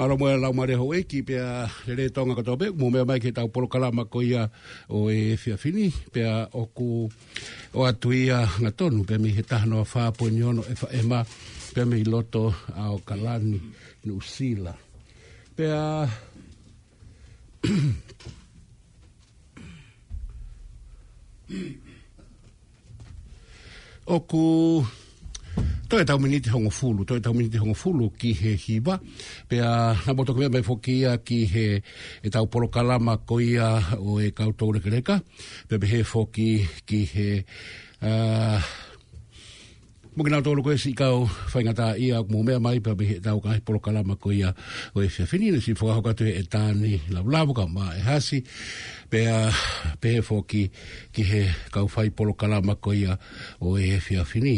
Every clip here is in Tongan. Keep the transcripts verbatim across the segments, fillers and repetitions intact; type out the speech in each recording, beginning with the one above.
Mālō mo e laumālie houʻeiki pea lelei Tonga kotoa pē, mou meʻa mai ki heʻetau polokalama ko ia ʻo e efiafi ni, pea ʻoku ʻoatu ia hangatonu pē mei he taha noa fā poini ono F M, pea mei loto ʻAokalani, Nuʻusila. Pea ʻoku toe ʻetau miniti hongofulu, toe ʻetau miniti hongofulu ki he hiva. Pea naʻa mou toki meʻa mai foki ia ki he, ʻetau polokalama ko ia ʻo e kau toulekeleka. Pea pehē foki ki he, ā, mo kinautolu ko e siʻi kau faingataʻaʻia ʻoku mou meʻa mai pea mei heʻetau ngaahi polokalama ko ia ʻo e efiafi ni, naʻe siʻi fakahoko atu ʻe Tani Lavulavu kae ʻumaʻā ʻe Hasi. Pea pehē foki ki he kau fai polokalama ko ia ʻo e efiafi ni.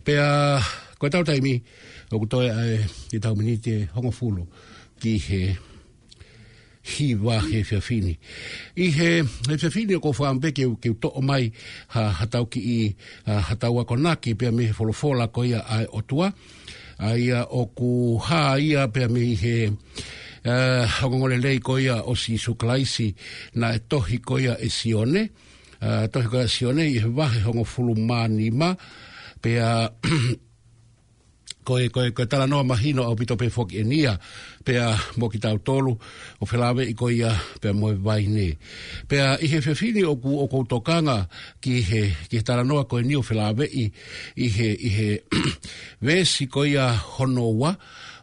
Pea ko ʻetau taimi ʻoku toe ʻa e, ʻetau miniti ʻe hongofulu ki he hiva he efiafi ni. ʻI he, he efiafi ni ʻoku ou fakaʻamu pē ke u, ke u toʻo mai ha, haʻatau kiʻi, ā, haʻatau akonaki pea mei he folofola ko ia ʻa e ʻOtua. ʻA ia ʻoku hā ia pea mei he, ā, ongoongolelei ko ia ʻo Sīsū Kalaisi naʻe tohi ko ia ʻe Sione. Ā, tohi ko ia ʻe Sione ʻi he vahe hongofulu mā nima. Pea ko e, ko e, ko e talanoa mahino ʻaupito pē foki eni ia, pea mo kitautolu, ʻo felāveʻi ko ia pea mo e vaine. Pea ʻi he efiafi ni ʻoku, ʻoku ou tokanga ki he, ki he talanoa ko eni ʻo felāveʻi ʻi he, ʻi he veesi ko ia hono ua,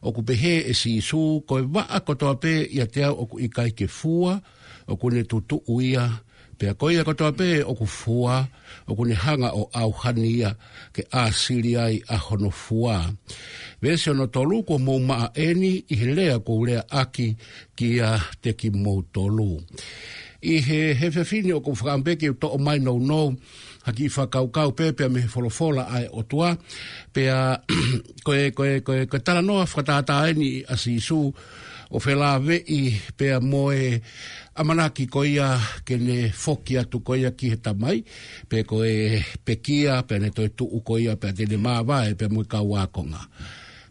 ʻoku pehē ʻe Sīsū, ko e vaʻa kotoa pē ʻiate au ʻoku ʻikai ke fua, ʻoku ne tutuʻu ia, pea ko ia kotoa pē ʻoku fua, ʻoku ne hanga ʻo ʻauhani ia ke ʻāsili ai ʻa hono fua. Veesi hono tolu, kuo mou maʻa eni ʻi he lea kuo u leaʻaki kiate kimoutolu. ʻI he, he efiafi ni ʻoku ou fakaʻamu pē ke u toʻo mai nounou ha kiʻi fakakaukau pē pea mei he folofola ʻa e ʻOtua, pea ko e, ko e, ko e, ko e talanoa fakatātā eni ʻa Sīsū ʻo felāveʻi pea mo e ʻamanaki ko ia ke ne foki atu ko ia ki he Tamai, pe ko e pekia, pea ne toe tuʻu ko ia, pea te ne māvae pea mo e kau ākonga.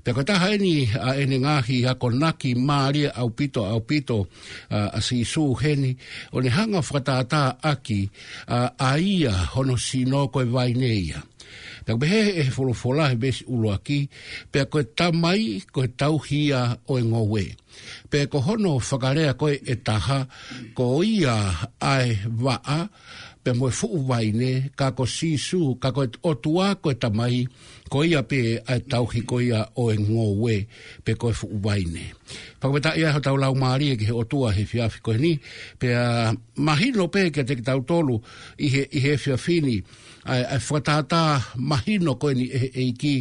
Pea ko e taha eni ʻa ʻene ngaahi akonaki mālie ʻaupito, ʻaupito, ā, ʻa Sīsū heni, ʻo ne hanga fakatātā ʻaki, ā, ʻa ia hono sino ko e vaine ia. Pea ʻoku pehē ʻe he folofola he veesi ʻuluaki, pea ko e Tamai ko e tauhi ia ʻo e ngoue. Pea ko hono fakalea ko ē ʻe taha, ko ia ʻa e vaʻa, pea mo e fuʻu vaine, ka ko Sīsū, ka ko e ʻOtua ko e Tamai, ko ia pē ʻa e tauhi ko ia ʻo e ngoue, pe ko e fuʻu vaine. Fakafetaʻi ai hotau laumālie ki he ʻOtua he efiafi ko eni, pea mahino pē kiate kitautolu ʻi he, ʻi he efiafi ni, ʻa e, ʻa e fakatātā mahino ko eni ʻe he ʻEiki,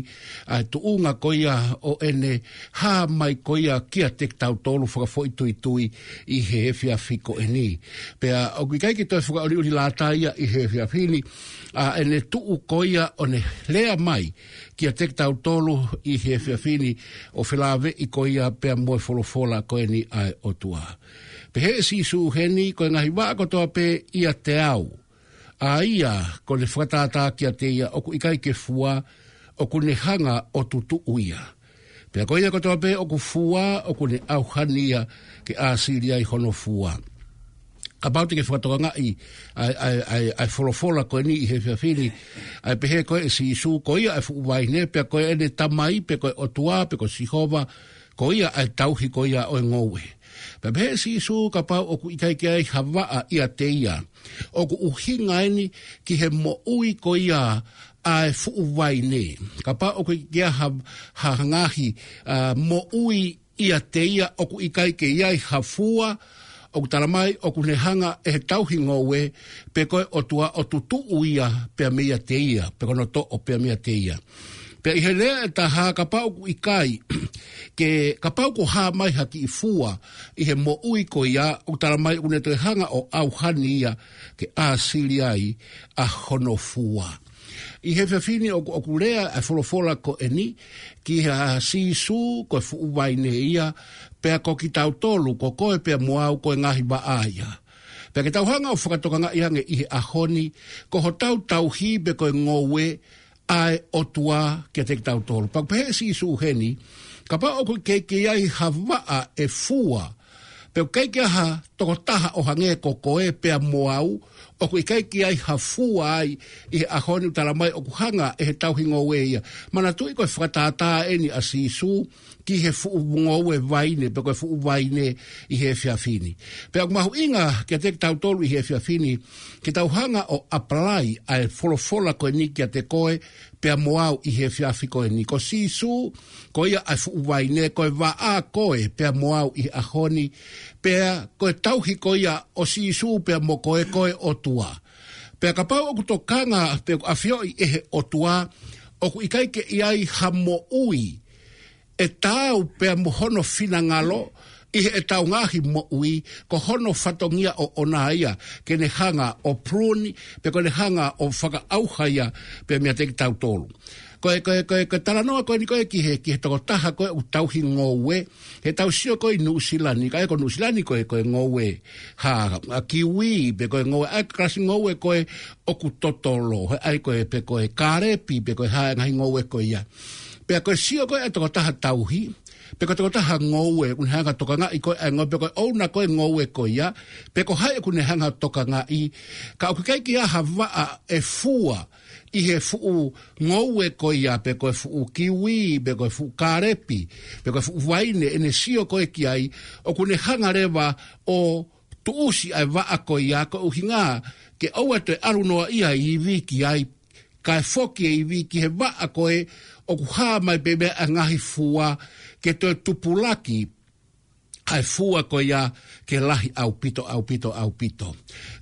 ʻa e tuʻunga ko ia ʻo ʻene hā mai ko ia kiate kitautolu fakafoʻituitui ʻi he efiafi ko eni. Pea ʻoku ʻikai ke toe fakaʻuliʻuli lata ia ʻi he efiafi ni, ʻa ʻene tuʻu ko ia ʻo ne lea mai kiate kitautolu ʻi he efiafi ni ʻo felāveʻi ko ia pea mo e folofola ko eni ʻa e ʻOtua. Pehē ʻe Sīsū heni, ko e ngaahi vaʻa kotoa pē ʻiate au, ʻa ia kuo ne fakatātā kiate ia ʻoku ʻikai ke fua, ʻoku ne hanga ʻo tutuʻu ia. Pea ko ia kotoa pē ʻoku fua, ʻoku ne ʻauhani ia ke ʻāsili ai hono fua. Kapau te ke fakatokangaʻi ʻa e, ʻa e, ʻa e, ʻa e folofola ko eni ʻi he efiafi ni, ʻa e pehē ko ē ʻe Sīsū, ko ia ʻa e fuʻu vaine, pea ko ʻene Tamai, pe ko e ʻOtua, pe ko Sihova, ko ia ʻa e tauhi ko ia ʻo e ngoue. Pea pehē ʻe Sīsū, kapau ʻoku ʻikai ke ʻi ai ha vaʻa ʻiate ia, ʻoku ʻuhinga eni ki he moʻui ko ia ʻa e fuʻu vaine. Kapau ʻoku ʻikai ke ʻi ai ha, ha ngaahi, ā, moʻui ʻiate ia ʻoku ʻikai ke ʻi ai ha fua, ʻoku tala mai ʻoku ne hanga ʻe he tauhi ngoue, pe ko e ʻOtua ʻo tutuʻu ia pea meiate ia, pe ko hono toʻo pea meiate ia. Pea ʻi he lea ʻe taha, kapau ʻoku ʻikai, ke, kapau kuo hā mai ha kiʻi fua ʻi he moʻui ko ia, ʻoku tala mai ʻoku ne toe hanga ʻo ʻauhani ia ke ʻāsili ai ʻa hono fua. ʻI he efiafi ni ʻoku, ʻoku lea ʻa e folofola ko eni ki ha Sīsū ko e fuʻu vaine ia, pea ko kitautolu, ko koe pea mo au ko e ngaahi vaʻa ia. Pea ke tau hanga ʻo fakatokangaʻi ange ʻi he ʻaho ni, ko hotau tauhi pe ko e ngoue ʻa e ʻOtua kiate kitautolu. Pea ʻoku pehē ʻe Sīsū heni, Kapau ʻoku ʻikai ke ʻi ai ha vaʻa ʻe fua, pe ʻoku ʻikai ke ʻi ai ha tokotaha ʻo hangē ko koe pea mo au, ʻoku ʻikai ke ʻi ai ha fua ai ʻi he ʻaho ni, ʻoku tala mai ʻoku hanga ʻe he tauhi ngoue ia. Manatuʻi ko e fakatātā eni ʻa Sīsū ki he fuʻu ngoue vaine, pe ko e fuʻu vaine ʻi he efiafi ni. Pea ʻoku mahuʻinga kiate kitautolu ʻi he efiafi ni, ke tau hanga ʻo apply ʻa e folofola ko eni kiate koe pea mo au ʻi he efiafi ko eni. Ko Sīsū, ko ia ʻa e fuʻu vaine, ko e vaʻa koe pea mo au ʻi he ʻaho ni, pea ko e tauhi ko ia ʻo Sīsū pea mo koe, ko e ʻOtua. Pea kapau ʻoku tokanga pe ʻoku ʻafioʻi ʻe he ʻOtua ʻoku ʻikai ke ʻi ai ha moʻui ʻe taau pea mo hono finangalo ʻi heʻetau ngaahi moʻui, ko hono fatongia ʻoʻona ia ke ne hanga ʻo prune, pe ko ʻene hanga ʻo fakaʻauha ia pea meiate kitautolu. Ko e, ko e, ko e, ko e talanoa ko eni ko e ki he, ki he tokotaha ko e ʻoku tauhi ngoue, he tau sio ko e ʻi Nuʻusila ni, ka ʻi ai ko Nuʻusila ni ko e, ko e ngoue ha, ha kiwi, pe ko e ngoue, ʻa e kalasi ngoue ko e ʻoku totolo, he ʻai ko e, pe ko e kālepi, pe ko e hā e ngaahi ngoue ko ia. Pea ko e sio ko e ʻa e tokotaha tauhi, pe ko e tokotaha ngoue, ʻoku ne hanga ʻo tokangaʻi ko e ʻa e ngoue, pe ko e ʻouna ko e ngoue ko ia, pe ko hai ʻoku ne hanga ʻo tokangaʻi, ka ʻoku ʻikai ke ʻi ai ha vaʻa ʻe fua ʻi he fuʻu ngoue ko ia, pe ko e fuʻu kiwi, pe ko e fuʻu kālepi, pe ko e fuʻu vaine, ʻene sio ko e ki ai, ʻoku ne hanga leva ʻo tuʻusi ʻa e vaʻa ko ia, ko e ʻuhinga ke ʻoua toe ʻalu noa ia ivi ki ai, kae foki e ivi ki he vaʻa ko e ʻoku hā mai pē mei ai ʻa e ngaahi fua, ke toe tupulaki ʻa e fua ko ia ke lahi ʻaupito, ʻaupito, ʻaupito.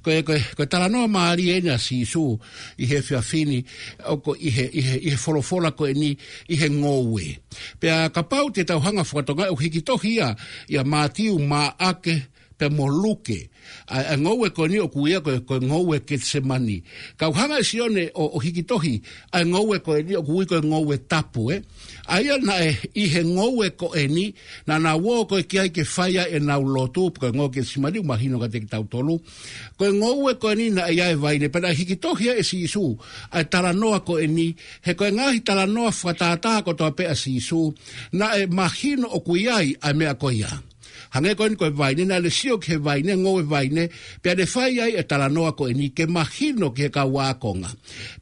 Ko e, ko e, ko e talanoa mālie eni ʻa Sīsū ʻi he efiafi ni, ʻoku ʻi he, ʻi he, ʻi he folofola ko eni ʻi he ngoue. Pea kapau te tau hanga ʻo fakatokangaʻi, ʻoku hiki tohi ia ʻia Mātiu, Maʻake, pea mo Luke. ʻA e, ʻa e ngoue ko eni ʻoku ui ia ko e, ko e ngoue Ketisemani. Ka ʻoku hanga ʻe Sione ʻo, ʻo hiki tohi ʻa e ngoue ko eni ʻoku ui ko e ngoue tapu, ē. ʻA ia naʻe ʻi he ngoue ko eni, naʻa nau ō ko e ki ai ke fai ai ʻenau lotu, ko e ngoue Ketisemani, ʻoku mahino kiate kitautolu. Ko e ngoue ko eni naʻe ʻi ai e vaine, pea naʻe hiki tohi ai ʻe Sīsū ʻa e talanoa ko eni, he ko e ngaahi talanoa fakatātā kotoa pē ʻa Sīsū, naʻe mahino ʻoku ʻi ai ʻa e meʻa ko ia. Hangē ko eni ko e vaine, naʻa ne sio ki he vaine, ngoue vaine, pea ne fai ai e talanoa ko eni ke mahino ki he kau ākonga.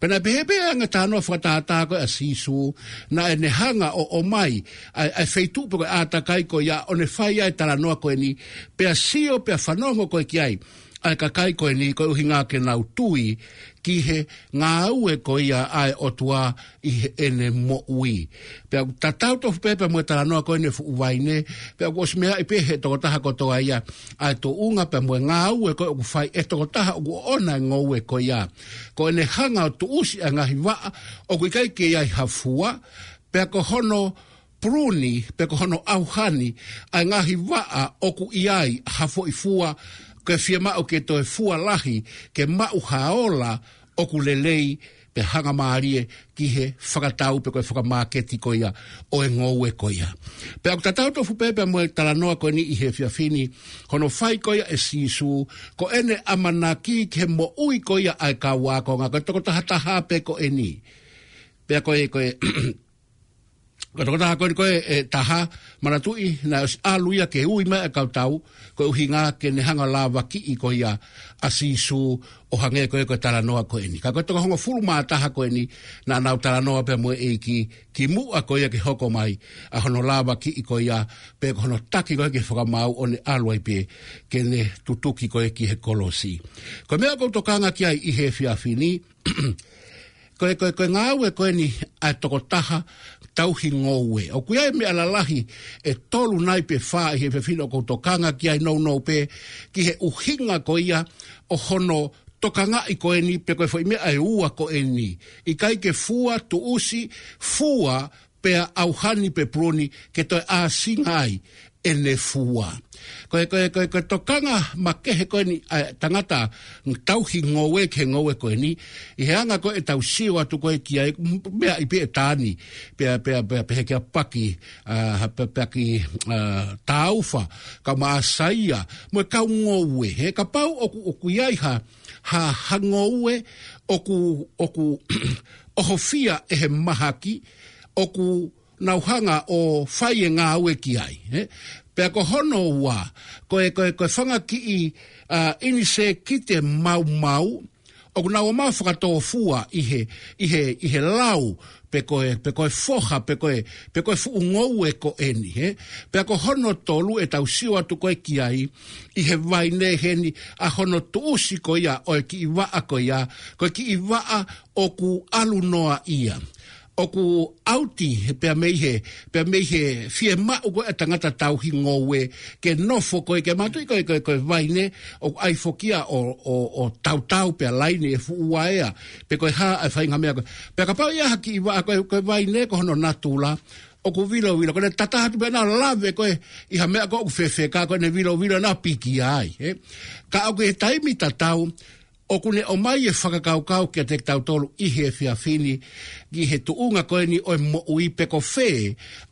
Pea naʻe pehē pē ange e talanoa fakatātā ko ē ʻa Sīsū, naʻa ne hanga ʻo, ʻomai ʻa e, ʻa e feituʻu pe ko e ʻātakai ko ia ʻo ne fai ai e talanoa ko eni, pea sio, pea fanongo ko ē ki ai ʻa e kakai ko eni, ko e ʻuhinga ke nau tui ki he ngāue ko ia ʻa e ʻOtua ʻi heʻene moʻui. Pea ʻoku tatau tofu pē pea mo e talanoa ko eni e fuʻu vaine, pea ʻoku ʻosi meaʻi pē ʻe he tokotaha kotoa ia ʻa e tuʻunga pea mo e ngāue ko ē ʻoku fai ʻe he tokotaha ʻoku ʻoʻona e ngoue ko ia. Ko ʻene hanga ʻo tuʻusi ʻa e ngaahi vaʻa ʻoku ʻikai ke ʻi ai ha fua, pea ko hono prune, pe ko hono ʻauha ni ʻa e ngaahi vaʻa ʻoku ʻi ai ha foʻi fua, ke fiemaʻu ke toe fua lahi, ke maʻu ha ola ʻoku lelei, pea hangamālie ki he fakatau pe ko e fakamāketi ko ia ʻo e ngoue ko ia. Pea ʻoku tatau tofu pē pea mo e talanoa ko eni ʻi he efiafi ni, hono fai ko ia ʻe Sīsū, ko ʻene ʻamanaki ki he moʻui ko ia ʻa e kau ākonga, ko e tokotaha taha pē ko eni. Pea ko e, ko e, ko e tokotaha ko eni ko e, ʻe taha, manatuʻi, naʻe ʻosi ʻalu ia ke ui mai ʻa e kau tau, ko e ʻuhinga ke ne hanga ʻo lavakiʻi ko ia ʻa Sīsū, ʻo hangē ko ē ko e talanoa ko eni. Ka ko e toko hongofulu mā taha ko eni, naʻa nau talanoa pea mo e ʻEiki, kimuʻa ko ia ke hoko mai ʻa hono lavakiʻi ko ia, pe ko hono taki ko ē ki he fakamaau ʻo ne ʻalu ai pē ke ne tutuki ko ē ki he kolosi. Ko e meʻa ʻoku ou tokanga ki ai ʻi he efiafi ni, ko e, ko e, ko e ngāue ko eni ʻa e tokotaha tauhi ngoue. ʻOku ʻi ai e meʻa lalahi ʻe tolu nai pe fā ʻi he efiafi ni ʻoku ou tokanga ki ai nounou pē ki he ʻuhinga ko ia ʻo hono tokangaʻi ko eni pe ko e foʻi meʻa ʻe ua ko eni. ʻIkai ke fua, tuʻusi, fua, pea ʻauha ni pe prune ke toe ʻāsinga ai ʻene fua. Ko e, ko e, ko e, ko e tokanga makehe ko eni ʻa e tangata tauhi ngoue ki he ngoue ko eni, ʻi he anga ko ē ʻetau sio atu ko ē ki ai, m-, meʻa ʻi pē ʻe Tani, pea, pea, pea, pea he kia Paki, ʻa, pea, pea ki, ʻa, Taufa, kau Masaia, mo e kau ngoue, he kapau ʻoku, ʻoku ʻi ai ha, ha, ha ngoue, ʻoku, ʻoku ʻohofia ʻe he mahaki, ʻoku nau hanga ʻo fai e ngāue ki ai, ē? Pea ko hono ua, ko e, ko e, ko e fanga kiʻi, ʻa, ʻinisēkite maumau, ʻoku nau ō mai ʻo fakatōfua ʻi he, ʻi he, ʻi he lau, pe ko e, pe ko e foha, pe ko e, pe ko e fuʻu ngoue ko eni, ē? Pea ko hono tolu ʻetau sio atu ko ē ki ai, ʻi he vaine heni ʻa hono tuʻusi ko ia ʻo e kiʻi vaʻa ko ia, ko e kiʻi vaʻa ʻoku ʻalu noa ia. ʻOku ʻauti he pea mei he, pea mei he fiemaʻu ko ē ʻa e tangata tauhi ngoue ke nofo ko ē ke mātuʻaki ko e, ko e, ko e vaine ʻoku ʻai foki ia ʻo, ʻo, ʻo tautau pea laine e fuʻu uaea, pe ko e hā ʻa e faʻahinga meʻa ko ē. Pea kapau ʻe ʻi ai ha kiʻi vaʻa ko e, ko e vaine ko hono natula, ʻoku vilovilo, ko ʻene tataha atu pē ʻo lave ko ē ʻi ha meʻa ko ē ʻoku fefeka, ko ʻene vilovilo naʻa piki ai, ē? Ka ʻoku ʻi he taimi tatau, ʻoku ne ʻomai e fakakaukau kiate kitautolu ʻi he efiafi ni, ki he tuʻunga ko eni ʻo e moʻui pe ko fē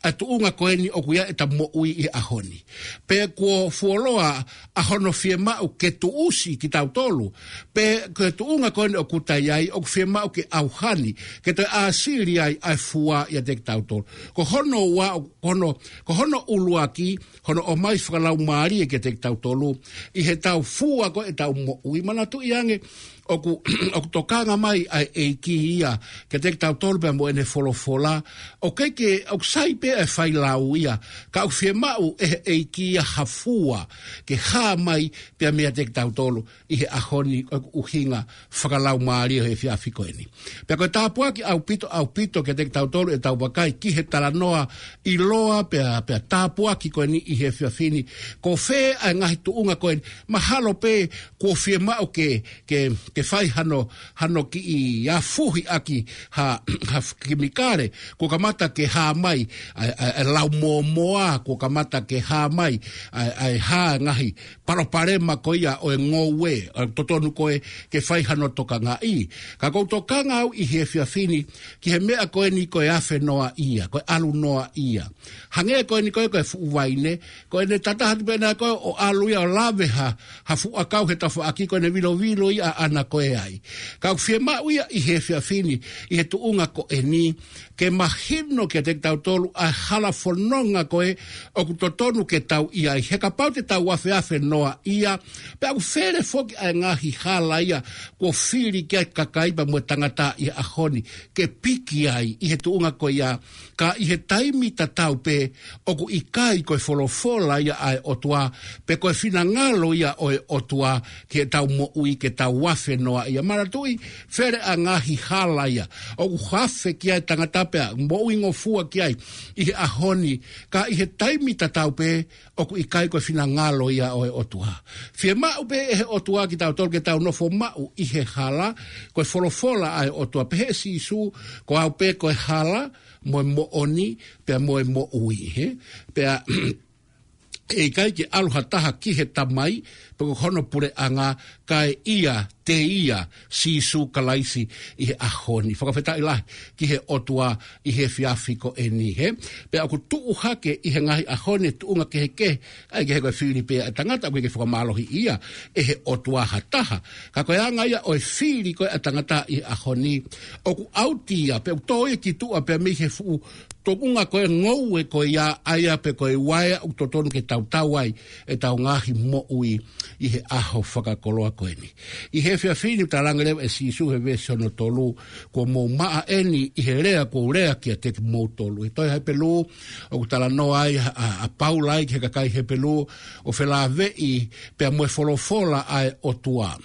ʻa e tuʻunga ko eni ʻoku ʻi ai ʻeta moʻui ʻi he ʻaho ni. Pe kuo fuoloa ʻa hono fiemaʻu ke tuʻusi kitautolu, pe ko e tuʻunga ko eni ʻoku ta ʻi ai, ʻoku fiemaʻu ke ʻauha ni, ke toe ʻāsili ai ʻa e fua ʻiate kitautolu. Ko hono ua, ko hono, ko hono ʻuluaki, hono ʻomai fakalaumālie kiate kitautolu, ʻi heʻetau fua ko ē ʻetau moʻui. Manatuʻi ange, ʻoku, ʻoku tokanga mai ʻa e ʻEiki ia kiate kitautolu pea mo ʻene folofola. ʻOku ʻikai ke, ʻoku sai pē ʻa e failau ia, ka ʻoku fiemaʻu ʻe he ʻEiki ia ha fua ke hā mai pea meiate kitautolu ʻi he ʻaho ni, ʻoku ʻuhinga fakalaumālie he efiafi ko eni. Pea ko e tāpuaki ʻaupito, ʻaupito kiate kitautolu ʻetau vakai ki he talanoa ʻiloa pea, pea tāpuaki ko eni ʻi he efiafi ni. Ko fē ʻa e ngaahi tuʻunga ko eni, mahalo pē kuo fiemaʻu ke, ke, ke fai hano, hano kiʻi afuhi ʻaki ha, ha kemikale, kuo kamata ke hā mai ʻa e, ʻa e, ʻa e lau mōmoa, kuo kamata ke hā mai ʻa e, ʻa e hā ngaahi palopalema ko ia ʻo e ngoue, ʻoku totonu ko ē ke fai hano tokangaʻi. Ka ʻoku ou tokanga au ʻi he efiafi ni ki he meʻa ko eni ko e afe noa ia, ko e ʻalu noa ia. Hangē ko eni ko ē ko e fuʻu vaine, ko ʻene tataha atu pē ʻo ʻalu ia ʻo lave ha, ha fuʻu ʻakau he tafaʻaki, ko ʻene vilovilo ia ʻaʻana ko ē ai. Ka ʻoku fiemaʻu ia ʻi he efiafi ni, ʻi he tuʻunga ko eni, ke mahino kiate kitautolu ʻa e hala fononga ko ē ʻoku totonu ke tau ʻi ai. He kapau te tau afeafe noa ia, pea ʻoku fele foki ʻa e ngaahi hala ia kuo fili ki ai e kakai pea mo e tangata ʻi he ʻaho ni ke piki ai ʻi he tuʻunga ko ia, ka ʻi he taimi tatau pē ʻoku ʻikai ko e folofola ia ʻa e ʻOtua, pe ko e finangalo ia ʻo e ʻOtua ki heʻetau moʻui ke tau afe noa ia. Manatuʻi, fele ʻa e ngaahi hala ia ʻoku afe ki ai e tangata pea moʻuingofua ki ai ʻi he ʻaho ni, ka ʻi he taimi tatau pē ʻoku ʻikai ko e finangalo ia ʻo e ʻOtua. Fiemaʻu pē ʻe he ʻOtua kitautolu ke tau nofo maʻu ʻi he hala, ko e folofola ʻa e ʻOtua. Pehē ʻe Sīsū, ko au pē ko e hala, mo e moʻoni, pea mo e moʻui, ē? Pea ʻe ʻikai ke ʻalu ha taha ki he Tamai, pe ko hono puleʻanga, kae ʻiate ia Sīsū Kalaisi ʻi he ʻaho ni. Fakafetaʻi lahi ki he ʻOtua ʻi he efiafi ko eni, ē? Pea ʻoku tuʻu hake ʻi he ngaahi ʻaho ni e tuʻunga kehekehe, ʻa ia ʻoku ʻikai ke fili pē ʻa e tangata, ʻoku ʻikai ke fakamālohiʻia ʻe he ʻOtua ha taha. Ka ko e anga ia ʻo e fili ko ē ʻa e tangata ʻi he ʻaho ni, ʻoku ʻauti ia, pea ʻoku tō ia ki tuʻa pea mei he fuʻu tuʻunga ko ē ngoue ko ia, ʻa ia pē ko e uaea ʻoku totonu ke tautau ai ʻetau ngaahi moʻui ʻi he ʻaho fakakoloa ko eni. ʻI he efiafi ni ʻoku talaange leva ʻe Sīsū he veesi hono tolu, kuo mou maʻa eni ʻi he lea kuo u lea kiate kimoutolu. He tohi Hepelū, ʻoku talanoa ai ʻa, ʻa, ʻa Paula ai ki he kakai Hepelū, ʻo felāveʻi pea mo e folofola ʻa e ʻOtua.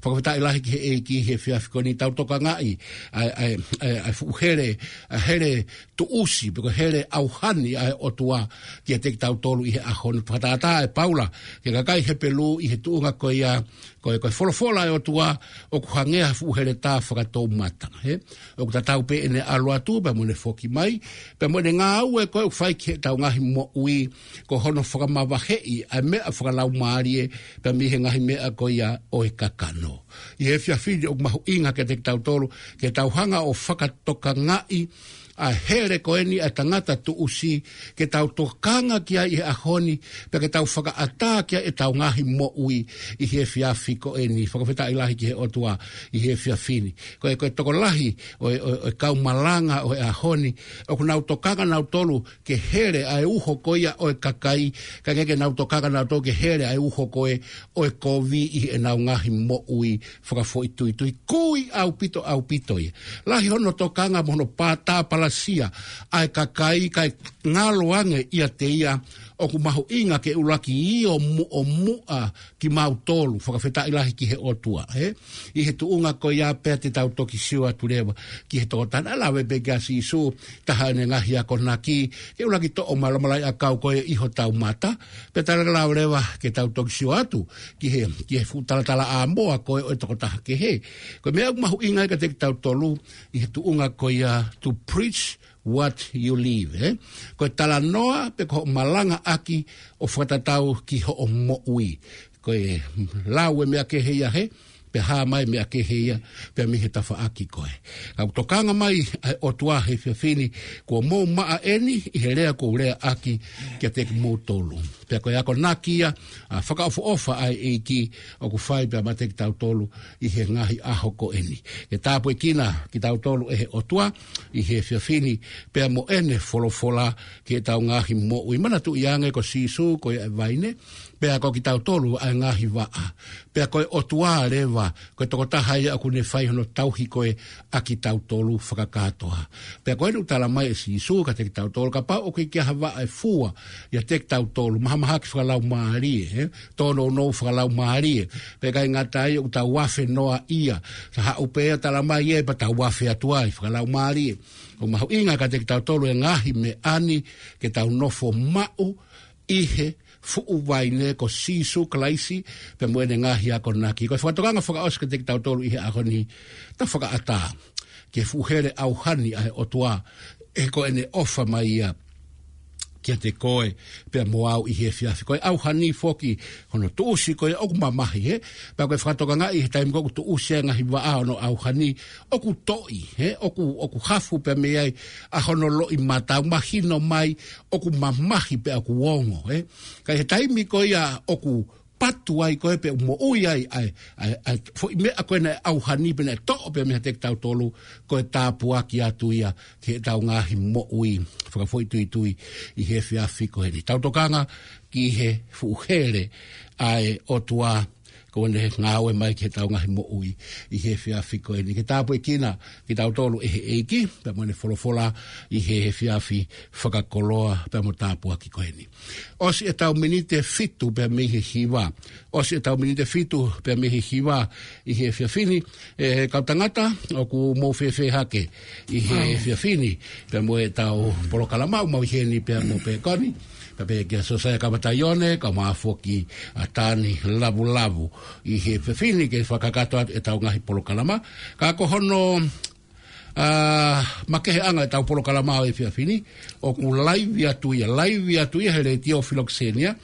Fakafetaʻi lahi ki he ʻEiki he efiafi ko eni, tau tokangaʻi ʻa e, ʻa e, ʻa e, ʻa e fuʻu hele, ʻa e hele tuʻusi, pe ko e hele ʻauha ni ʻa e ʻOtua kiate kitautolu ʻi he ʻaho ni. Fakatātā ʻe Paula ki he kakai Hepelū ʻi he tuʻunga ko ia, ko e, ko e folofola ʻa e ʻOtua ʻoku hangē ha fuʻu heletā fakatoumata, ē? ʻOku tatau pē ʻene ʻalu atu, pea mo ʻene foki mai, pea mo ʻene ngāue ko ē ʻoku fai ki heʻetau ngaahi moʻui, ko hono fakamavaheʻi ʻa e meʻa fakalaumālie pea mei he ngaahi meʻa ko ia ʻo e kakano. ʻI he efiafi ni ʻoku mahuʻinga kiate kitautolu ke tau hanga ʻo fakatokangaʻi ʻa e hele ko eni ʻa e tangata tuʻusi, ke tau tokanga ki ai ʻi he ʻaho ni, pea ke tau fakaʻatā ki ai ʻetau ngaahi moʻui ʻi he efiafi ko eni. Fakafetaʻi lahi ki he ʻOtua ʻi he efiafi ni. Ko e, ko e tokolahi ʻo e, ʻo e, ʻo e kau malanga ʻo e ʻaho ni, ʻoku nau tokanga nautolu ke hele ʻa e uho ko ia ʻo e kakai, kae ʻikai ke nau tokanga nautolu ke hele ʻa e uho ko ē ʻo e kovi ʻi heʻenau ngaahi moʻui fakafoʻituitui. Kui ʻaupito, ʻaupito ia. Lahi hono tokanga mo hono pātā palasia ʻa e kakai, kae ngalo ange ʻiate ia ʻoku mahuʻinga ke ʻuluaki ʻio muʻomuʻa kimautolu, fakafetaʻi lahi ki he ʻOtua, ē? ʻI he tuʻunga ko ia pea te tau toki sio atu leva ki he tokotaha naʻe lave pē kia Sīsū, taha ʻene ngaahi akonaki, ke ʻuluaki toʻo mai e malaʻiʻakau ko ē ʻi hotau mata, pea tau lava leva ke tau toki sio atu ki he, ki he fuʻu talatalaʻāmoa ko ē ʻo e tokotaha kehe. Ko e meʻa ʻoku mahuʻinga ai kiate kitautolu ʻi he tuʻunga ko ia, to preach what you live, ē? Ko e talanoa pe ko hoʻo malangaʻaki ʻo fakatatau ki hoʻo moʻui. Ko e lau e meʻa kehe ia, hē, pea hā mai e meʻa kehe ia, pea mei he tafaʻaki ko ē. Ka ʻoku tokanga mai ʻa e ʻOtua he efiafi ni, kuo mou maʻa eni ʻi he lea kuo u leaʻaki kiate kimoutolu. Pea ko e akonaki ia, ʻa e fakaʻofoʻofa ʻa e ʻEiki ʻoku fai pea meiate kitautolu ʻi he ngaahi ʻaho ko eni. Ke tāpuekina kitautolu ʻe he ʻOtua ʻi he efiafi ni, pea mo ʻene folofola ki heʻetau ngaahi moʻui. Manatuʻi ange ko Sīsū ko ia ʻa e vaine, pea ko kitautolu ʻa e ngaahi vaʻa. Pea ko e ʻOtua leva, ko e tokotaha ia ʻoku ne fai hono tauhi ko ē ʻa kitautolu fakakātoa. Pea ko eni ʻoku tala mai ʻe Sīsū kiate kitautolu, kapau ʻoku ʻikai ke ʻi ai ha vaʻa ʻe fua ʻiate kitautolu, mahamahaki fakalaumālie, ē? Tōnounou fakalaumālie. Pea ʻikai ngata ai, ʻoku tau afe noa ia. Sa haʻu pē ia ʻo tala mai ē, pea tau afe atu ai fakalaumālie. ʻOku mahuʻinga kiate kitautolu e ngaahi meʻa ni ke tau nofo maʻu ʻi he fuʻu vaine ko Sīsū Kalaisi, pea mo ʻene ngaahi akonaki. Ko e fakatokanga fakaʻosi kiate kitautolu ʻi he ʻaho ni, ta fakaʻatā ki he fuʻu hele ʻauhani ʻa e ʻOtua, he ko ʻene ʻofa mai ia kiate koe pea mo au ʻi he efiafi. Ko e ʻauhani foki hono tuʻusi ko ē ʻoku mamahi, hē? Pea ko e fakatokangaʻi he taimi ko ē ʻoku tuʻusi ai e ngaahi vaʻa ʻo hono ʻauhani, ʻoku toʻi, hē? ʻOku, ʻoku hafu pea mei ai ʻa hono loʻimata, mahino mai ʻoku mamahi pea ʻoku ongo, ē? Ka ʻi he taimi ko ia ʻoku patu ai ko ē pe ʻoku moʻui ai ʻa e, ʻa e, ʻa e foʻi meʻa ko ē naʻe ʻauhani pea naʻe toʻo pea meiate kitautolu, ko e tāpuaki atu ia ki heʻetau ngaahi moʻui fakafoʻituitui ʻi he efiafi ko eni. Tau tokanga ki he fuʻu hele ʻa e ʻOtua, ko ʻene ngāue mai ki heʻetau ngaahi moʻui ʻi he efiafi ko eni. Ke tāpuekina kitautolu ʻe he ʻEiki pea mo ʻene folofola ʻi he efiafi fakakoloa pea mo tāpuaki ko eni. ʻOsi ʻetau miniti ʻe fitu pea mei he hiva. ʻOsi ʻetau miniti ʻe fitu pea mei he hiva ʻi he efiafi ni. ʻE kau tangata, ʻoku mou fēfē hake ʻi he efiafi ni pea mo ʻetau polokalama? ʻOku mau ʻi heni pea mo Pekoni, pea pehē kia Sosaia Kamataione, kae ʻumaʻā foki ʻa Tani Lavulavu ʻi he efiafi ni ke fakakakato atu ʻetau ngaahi polokalama. Ka ko hono ʻa, makeheʻanga ʻetau polokalama ʻo e efiafi ni, ʻoku laivi atu ia, laivi atu ia he Letiō Filokisenia,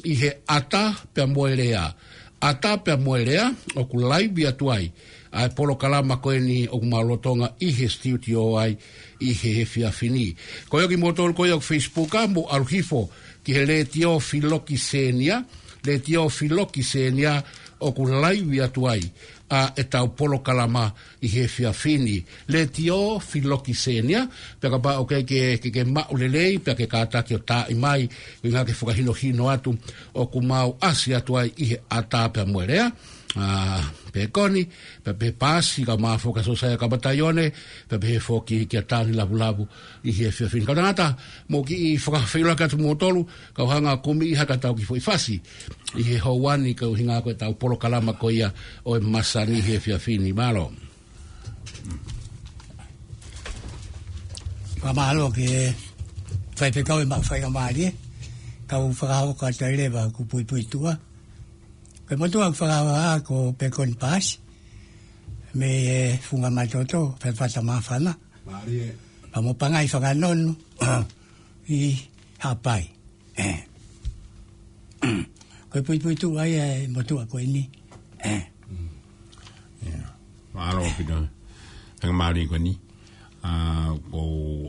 ʻi he ʻAta pea mo e Lea. ʻAta pea mo e Lea, ʻoku laivi atu ai ʻa e polokalama ko eni ʻoku mau lolotonga ʻi he studio ai ʻi he efiafi ni. Ko ia kimoutolu ko ia ʻoku Facebook, mou ʻalu hifo ki he Letiō Filokisenia, Letiō Filokisenia, ʻoku laivi atu ai ʻa ʻetau polokalama ʻi he efiafi ni. Letiō Filokisenia, pea kapau ʻoku ke, ke, ke maʻu lelei, pea ke kātaki ʻo taaʻi mai, ʻuhinga ke fakahinohino atu, ʻoku mau ʻasi atu ai ʻi he ʻAta pea mo e Lea, ʻa, Pekoni, pea pehē Pasi, kae ʻumaʻā foki ʻa Sosaia Kamataione, pea pehē foki kia Tani Lavulavu ʻi he efiafi ni. Kau tangata, mou kiʻi fakafeʻiloaki atu moutolu, kau hanga ʻo kumi ha kiʻi tau kiʻi foʻi fasi ʻi he houa ni, ko e ʻuhinga ko ʻetau polokalama ko ia ʻo e masani he efiafi ni. Mālō. Fakamālō ki he faifekau e maʻu faingamālie, kau fakahoko atu ai leva ʻeku puipuituʻa. Ko e motuʻa ʻoku fakahā ko Pekoni Pasi, mei he Funga Matoto, Fatafata Māfana. Mālie. Pea mo Pangai Fakanonu ʻi Haʻapai. ʻE. Ko e puipuituʻa ia e motuʻa ko eni. ʻE. Mm. ʻIo. Mālō ʻaupito. Faingamālie ko eni. ʻA, ʻoku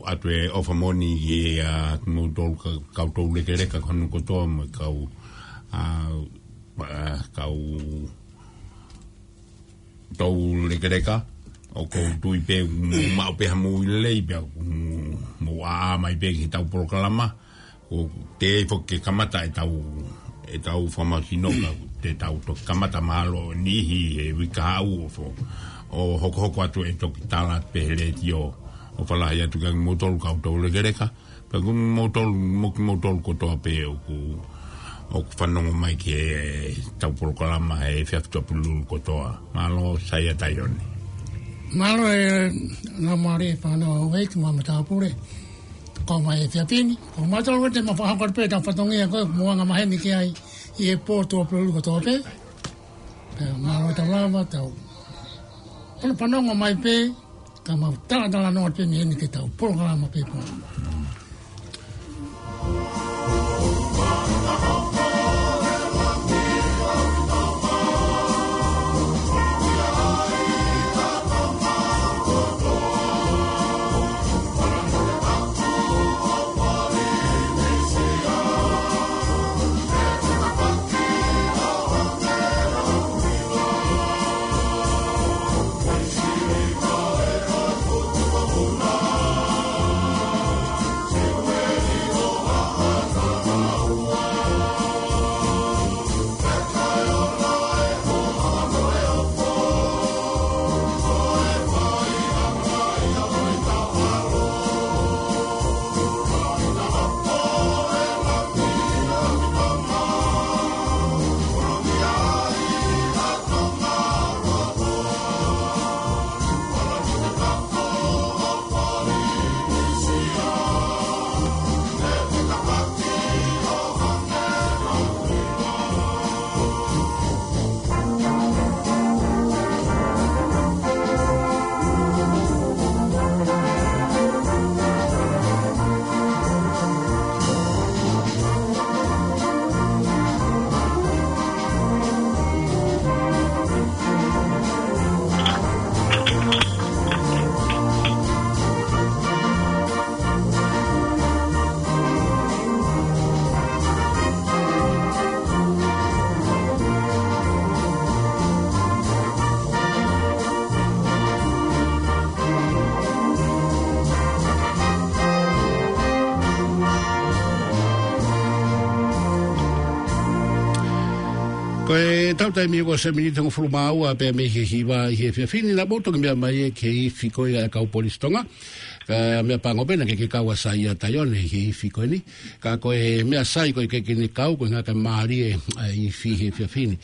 ʻoatu e ʻofa moʻoni ki he, ʻa, kimoutolu ka, kau toulekeleka ko hono kotoa mo e kau, ʻa, ʻa, kau toulekeleka, ʻoku ou tui pē mou maʻu pē ha moʻui lelei pea mou, mou ʻā mai pē ki heʻetau polokalama, ʻoku teʻeki foki ke kamata ʻetau, ʻetau fakamahino ka te tau toki kamata mahalo ʻi he uike kahaʻu ʻo fo-, ʻo hokohoko atu e toki tala pē he letiō ʻo fakalahi atu kia moutolu kau toulekeleka, pea ko moutolu, mo kimoutolu kotoa pē ʻoku, ʻoku fanongo mai ki heʻetau polokalama he efiafi Tuʻapulelulu kotoa. Mālō Saia Taione. Mālō e Laumālie Fānau Houʻeiki mo e matāpule. Kau mai he efiafi ni. Ko mautolu te ma fakahoko pē ʻetau fatongia ko e mou anga maheni ki ai ʻi he pō Tuʻapulelulu kotoa pē. Pea mālō e tau lava tau. Pano panongo mai pē, ka mau talatalanoa pē mei heni ki heʻetau polokalama pē pō. Ko ʻetau taimi ko e miniti hongofulu mā ua pē mei he hiva ʻi he efiafi ni, naʻa mou toki meʻa mai ē ki he ifi ko ia ʻa e kau polisi Tonga. Ka meʻapango pē naʻe ʻikai ke kau ʻa Saia Taione he ifi ko eni. Ka ko e meʻa sai ko e ʻikai ke ne kau ko e ngaahi mālie ʻa e ifi he efiafi ni.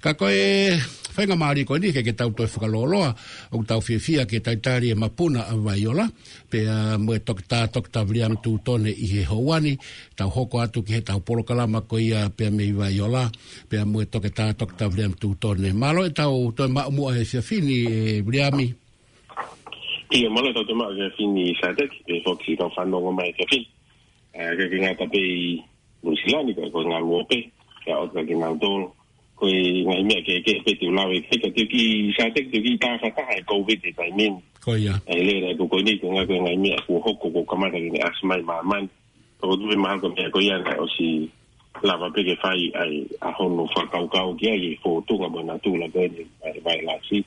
Ka ko e faingamālie ko eni ke, ke tau toe fakalōloa, ʻoku tau fiefia ke talitali e mapuna ʻa Vaiola, pea mo e Toketā, Toketā Viliami Tutone ʻi he houa ni, tau hoko atu ki heʻetau polokalama ko ia pea mei Vaiola, pea mo e Toketā, Toketā Viliami Tutone. Mālō ʻetau toe maʻu muʻa he efiafi ni, ē Viliami. ʻIo, mālō ʻetau toe maʻu he efiafi ni Sateki, pea foki kau fanongo mai he efiafi ni. ʻA, ʻikai ke ngata pē ʻi Nuʻusila ni, ka ko e ngaluope, ka ʻoku ʻikai ke nau tolo. Ko e ngaahi meʻa kehekehe pē te u lave ki ai, ka te u kiʻi Sateki te u kiʻi tāfataha e Covid he taimi ni. Ko ia. ʻA e lele atu ko eni, ko e ngaahi, ko e ngaahi meʻa kuo hoko kuo kamata ke ne ʻasi mai māmani. Ka ko e tuʻu pē mahalo ko e meʻa ko ia naʻe ʻosi lava pē ke fai ai ʻa hono fakakaukau ki ai e fōtunga mo e natula ko eni ʻa e vailasi.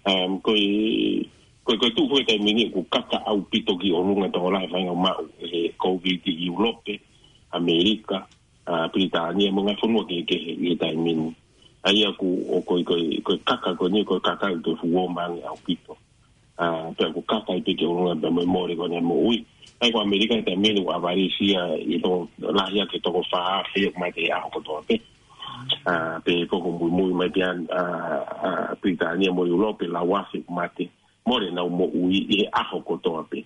Um, ko e, ko e, ko e tuʻu foki he taimi ni ʻoku kaka ʻaupito ki ʻolunga tokolahi e faʻahinga maʻu ʻe he Covid ʻi ʻIulope, ʻAmelika, ʻa Pilitānia mo e ngaahi fonua kehekehe ʻi he taimi ni. ʻA ia ʻoku, ʻo ko e, ko e, ko e kaka ko eni, ko e kaka ʻoku fuo mangi ʻaupito. ʻA, pea ʻoku kaka ai pē ke ʻolunga pea mo e mole ko eni e moʻui. ʻA ia ko ʻAmelika he taimi ni ʻoku ʻavalisi ia ʻi he tokolahi ʻaki e toko fā afe ʻoku mate he ʻaho kotoa pē. ʻA, pea ko ʻoku muimui mai pē ʻa, ʻa, ʻa Pilitānia mo ʻIulope, lau afe ʻoku mate. Mole ʻenau moʻui ʻi he ʻaho kotoa pē.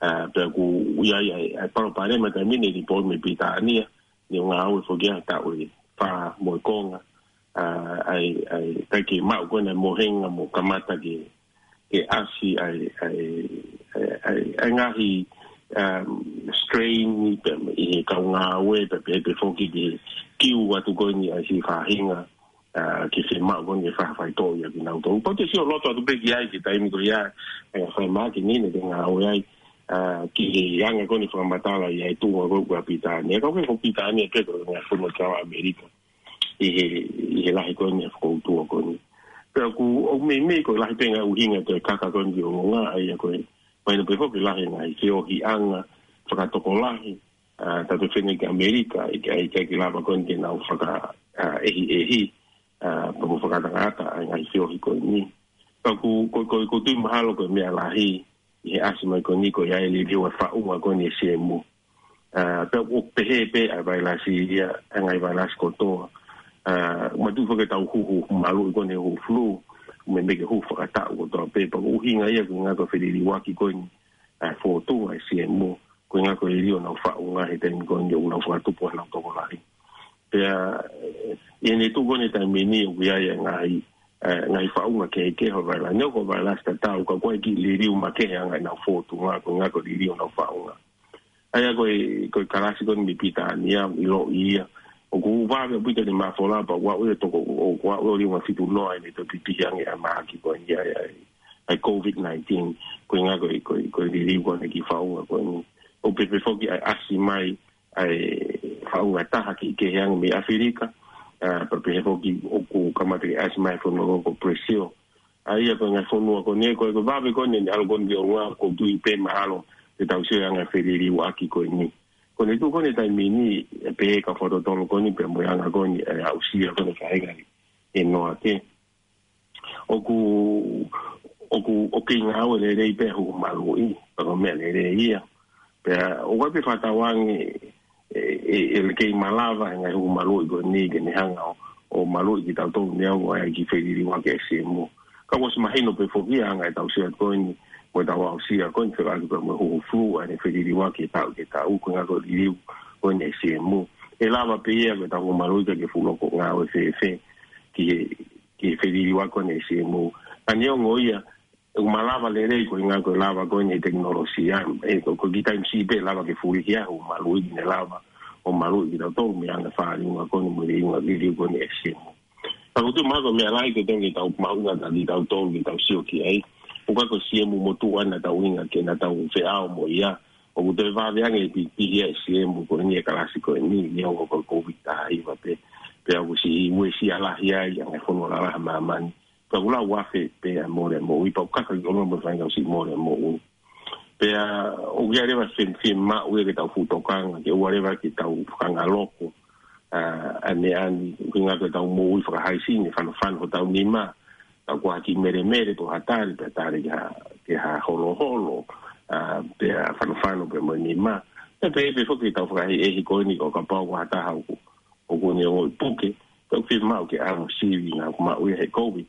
ʻA, pea ʻoku ʻi ai, ʻa e, ʻa e palopalema he taimi ni, lipooti mei Pilitānia, ne ngāue foki ʻa e taʻu ʻe fā mo e konga. ʻA, ʻa e, ʻa e, ʻikai ke maʻu ko ena e mohenga mo kamata ke, ke ʻasi ʻa e, ʻa e, ʻa e, ʻa e, ʻa e ngaahi, um, strain ni pea ʻi he kau ngāue, pea pehē pē foki ki he kiu atu ko eni ʻa e siʻi faʻahinga ʻa, ke fiemaʻu ko eni ke fai ha faitoʻo ia kinautolu. Pau te sio loto atu pē ki ai ki he taimi ko ia, ʻa e faimahaki ni ne ke ngāue ai, ʻa, ki he anga ko eni fakamatala ia e tuʻunga ko ē ʻa Pilitānia. Ka ko e ko Pilitānia pē ko e ngaahi fonua kau ʻAmelika ʻi he, ʻi he lahi ko eni e fakautua ko eni. Pea ʻoku ou meimei ko e lahi pē ngaahi ʻuhinga ʻe toe kaka ko eni ki ʻolunga, ʻa ia ko e mahino pē foki lahi ngaahi feohiʻanga fakatokolahi, ʻa, tautefito ki ʻAmelika, ʻikai, ʻikai ke lava ko eni ke nau faka, ʻa, ʻehiʻehi, ʻa, pea mo fakatangata ʻa e ngaahi feohi ko eni. Ka ʻoku, ko, ko, ko e tui mahalo ko e meʻa lahi ʻi he ʻasi mai ko eni ko ia e liliu e faʻunga ko eni e siemu. ʻA, pea ʻoku pehē pē ʻa e vailasi ia, ʻa e ngaahi vailasi kotoa. ʻA, mātuʻaki foki ʻetau huhu maluʻi ko eni huhu flu, meimei ke huhu fakataʻu kotoa pē, pea ko e ʻuhinga ia ko e ʻuhinga ko e feliliuaki ko eni ʻa e fōtunga e siemu, ko e ʻuhinga ko e liliu honau faʻunga he taimi ko eni ʻoku nau fakatupu ai honau tokolahi. Pea, ʻe, ʻi heʻene tuʻu ko eni he taimi ni ʻoku ʻi ai e ngaahi, ʻe, ngaahi faʻunga kehekehe ʻo e vailasi. Neongo ko e vailasi tatau, ka ʻoku ʻi ai e kiʻi liliu makehe ʻa e ngaahi, ʻenau fōtunga, ko e ʻuhinga ko e liliu honau faʻunga. ʻA ia ko e, ko e kalasi ko eni mei Pilitānia, ʻiloʻi ia. ʻOku vave ʻaupito ʻene mafola, pea ʻoku aʻu ia toko, ʻoku aʻu ia ʻo liunga fitu noa ʻene toe pipihi ange ʻa e mahaki ko eni ʻa e, ʻa e, ʻa e COVID nineteen, ko e ʻuhinga ko e, ko e, ko e liliu ko eni e kiʻi faʻunga ko eni. ʻO pehē pē foki ʻa e ʻasi mai ʻa e faʻunga ʻe taha kehekehe ange mei ʻAfilika, ʻa, pea pehē foki ʻoku kamata ke ʻasi mai e fonua ko Brazil. ʻA ia ko e ngaahi fonua ko eni, ko e, ko e vave ko eni ʻene ʻalu ko eni ki ʻolunga, ʻoku ou tui pē mahalo te tau sio he anga e feliliuaki ko eni. Ko ʻene tuʻu ko eni he taimi ni, ʻe pehē ka fakatotolo ko eni, pea mo e anga ko eni e aʻusia ko eni e faʻahinga ʻe noa ke. ʻOku, ʻoku, ʻoku kei ngāue lelei pē e huhu maluʻi, pea ko e meʻa lelei ia. Pea ʻoku ʻi ai pē fakatauange ʻe, ʻe, ʻe kei malava e ngaahi huhu maluʻi ko eni ke ne hanga ʻo, ʻo maluʻi kitautolu neongo ʻa e kiʻi feliliuaki e siemu. Ka ʻoku ʻosi mahino pē foki ʻa e anga ʻetau sio ko eni, mo ʻetau aʻusia ko eni fekauʻaki pea mo e huhu flu, ʻa ʻene feliliuaki he taʻu ki he taʻu, ko e ʻuhinga ko e liliu ko eni e siemu. ʻE lava pē ia ko ʻetau huhu maluʻi ka ke fuʻu loko ngāue fēfē ki he, ki he feliliuaki ko eni e siemu. Ka neongo ia, ʻoku malava lelei ko e ʻuhinga ko e lava ko eni e tekinolosia. ʻE, ko, ko e kiʻi taimi siʻi pē lava ke fulihi ʻa e huhu maluʻi ke ne lava ʻo maluʻi kitautolu mei he anga e fāliunga ko eni mo e liunga liliu ko eni e siemu. Ka ʻoku ou tui mahalo ko e meʻa lahi ke tau, ke tau mahuʻinga ʻa kitautolu ke tau sio ki ai. ʻOku ʻikai ko e siemu motuʻa naʻa tau ʻuhinga ke, naʻa tau feʻao mo ia. ʻOku toe vave ange e pipihi ʻa e siemu ko eni he kalasi ko eni, neongo ko e COVID taha hiva pē. Pea ʻoku siʻi uesia lahi ai ʻa e ngaahi fonua lalahi ʻa māmani. Pea ʻoku lau afe pē ʻa e mole moʻui, pea ʻoku kaka ki ʻolunga mo e faʻahinga ʻosi mole moʻui. Pea ʻoku ʻi ai leva e fie, fiemaʻu ia ke tau fuʻu tokanga, ke ʻoua leva ke tau fakangaloko, ʻa, ʻa e meʻa ni, ʻuhinga ko ʻetau moʻui fakahaisi ni, fanofano hotau nima, tau kuo ha kiʻi melemele pe ha tali, pea tali ki ha, ki ha holoholo, ʻa, pea fanofano pē mo e nima. Pea pehē pē foki ʻetau fakaʻehiʻehi ko eni ko e kapau ko ha taha ʻoku, ʻoku ne ongoʻi puke, pea ʻoku fiemaʻu ke ʻalu ʻo sivi, naʻa ʻoku maʻu ia he COVID,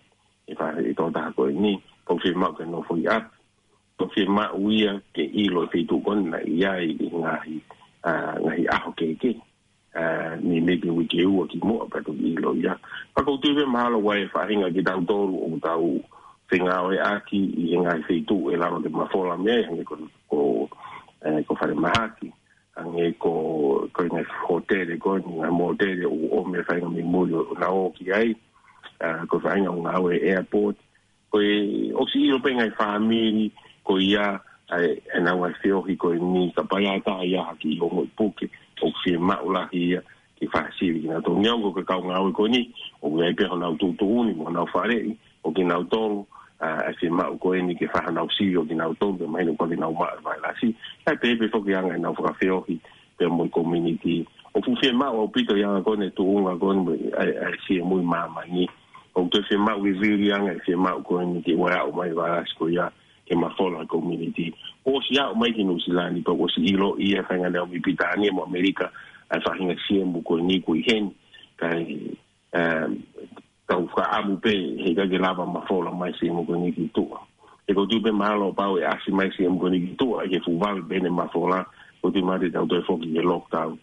ʻe fa, ʻe toko taha ko eni, pea ʻoku fiemaʻu ke nofo ʻi ʻapi, pea ʻoku fiemaʻu ia ke ʻilo e feituʻu ko eni naʻe ʻi ai e ngaahi, ʻa, ngaahi ʻaho kehekehe, ʻa, meimei pē uike ʻe ua kimuʻa pea toki ʻilo ia. Ka ʻoku ou tui pē mahalo ʻoku ʻi ai e faʻahinga kitautolu ʻoku tau fengāueʻaki ʻi he ngaahi feituʻu ʻe lava ke mafola mei ai, hangē ko, ko, ʻe, ko e falemahaki, hangē ko, ko e ngaahi hōtele ko eni, ngaahi mōtele ʻoku ʻomi e faʻahinga mei muli ʻo nau ō ki ai, ʻa, ko e faʻahinga ʻoku ngāue he airport. Ko e ʻosi ʻilo pē ngaahi fāmili ko ia, ʻa e, ʻenau ngaahi feohi ko eni, kapau ʻe ʻi ai ha taha ia ha kiʻi ongoʻi puke, ʻoku fiemaʻu lahi ia ke fai ha sivi kinautolu. Neongo ko e kau ngāue ko eni ʻoku ʻi ai pē honau tuʻutuʻuni mo honau faleʻi ʻo kinautolu, ʻa, ʻe fiemaʻu ko eni ke fai honau sivi ʻo kinautolu, ke mahino ʻoku ʻikai ke nau maʻu e vailasi. Kae pehē pē foki anga ʻenau fakafeohi pea mo e community. ʻOku fuʻu fiemaʻu ʻaupito ʻi he anga ko eni e tuʻunga ko eni mo e, ʻa e, ʻa e siemu ʻi māmani. ʻOku toe fiemaʻu e vili anga e fiemaʻu ko eni ke ʻoua ʻe aʻu mai e vailasi ko ia ke mafola e community. ʻOsi aʻu mai ki Nuʻu Sila ni, pea ʻosi ʻiloʻi e faʻahinga naʻe ō mei Pilitānia mo ʻAmelika ʻa e faʻahinga siemu ko eni ʻoku ʻi heni. Kae, ʻe, tau fakaʻamu pē heʻikai ke lava mafola mai e siemu ko eni ki tuʻa. He ʻoku ou tui pē mahalo pau ʻe ʻasi mai e siemu ko eni ki tuʻa, ʻi he fuʻu vave pē ʻene mafola, ʻoku ou tui mahalo te tau toe foki ki he lockdown.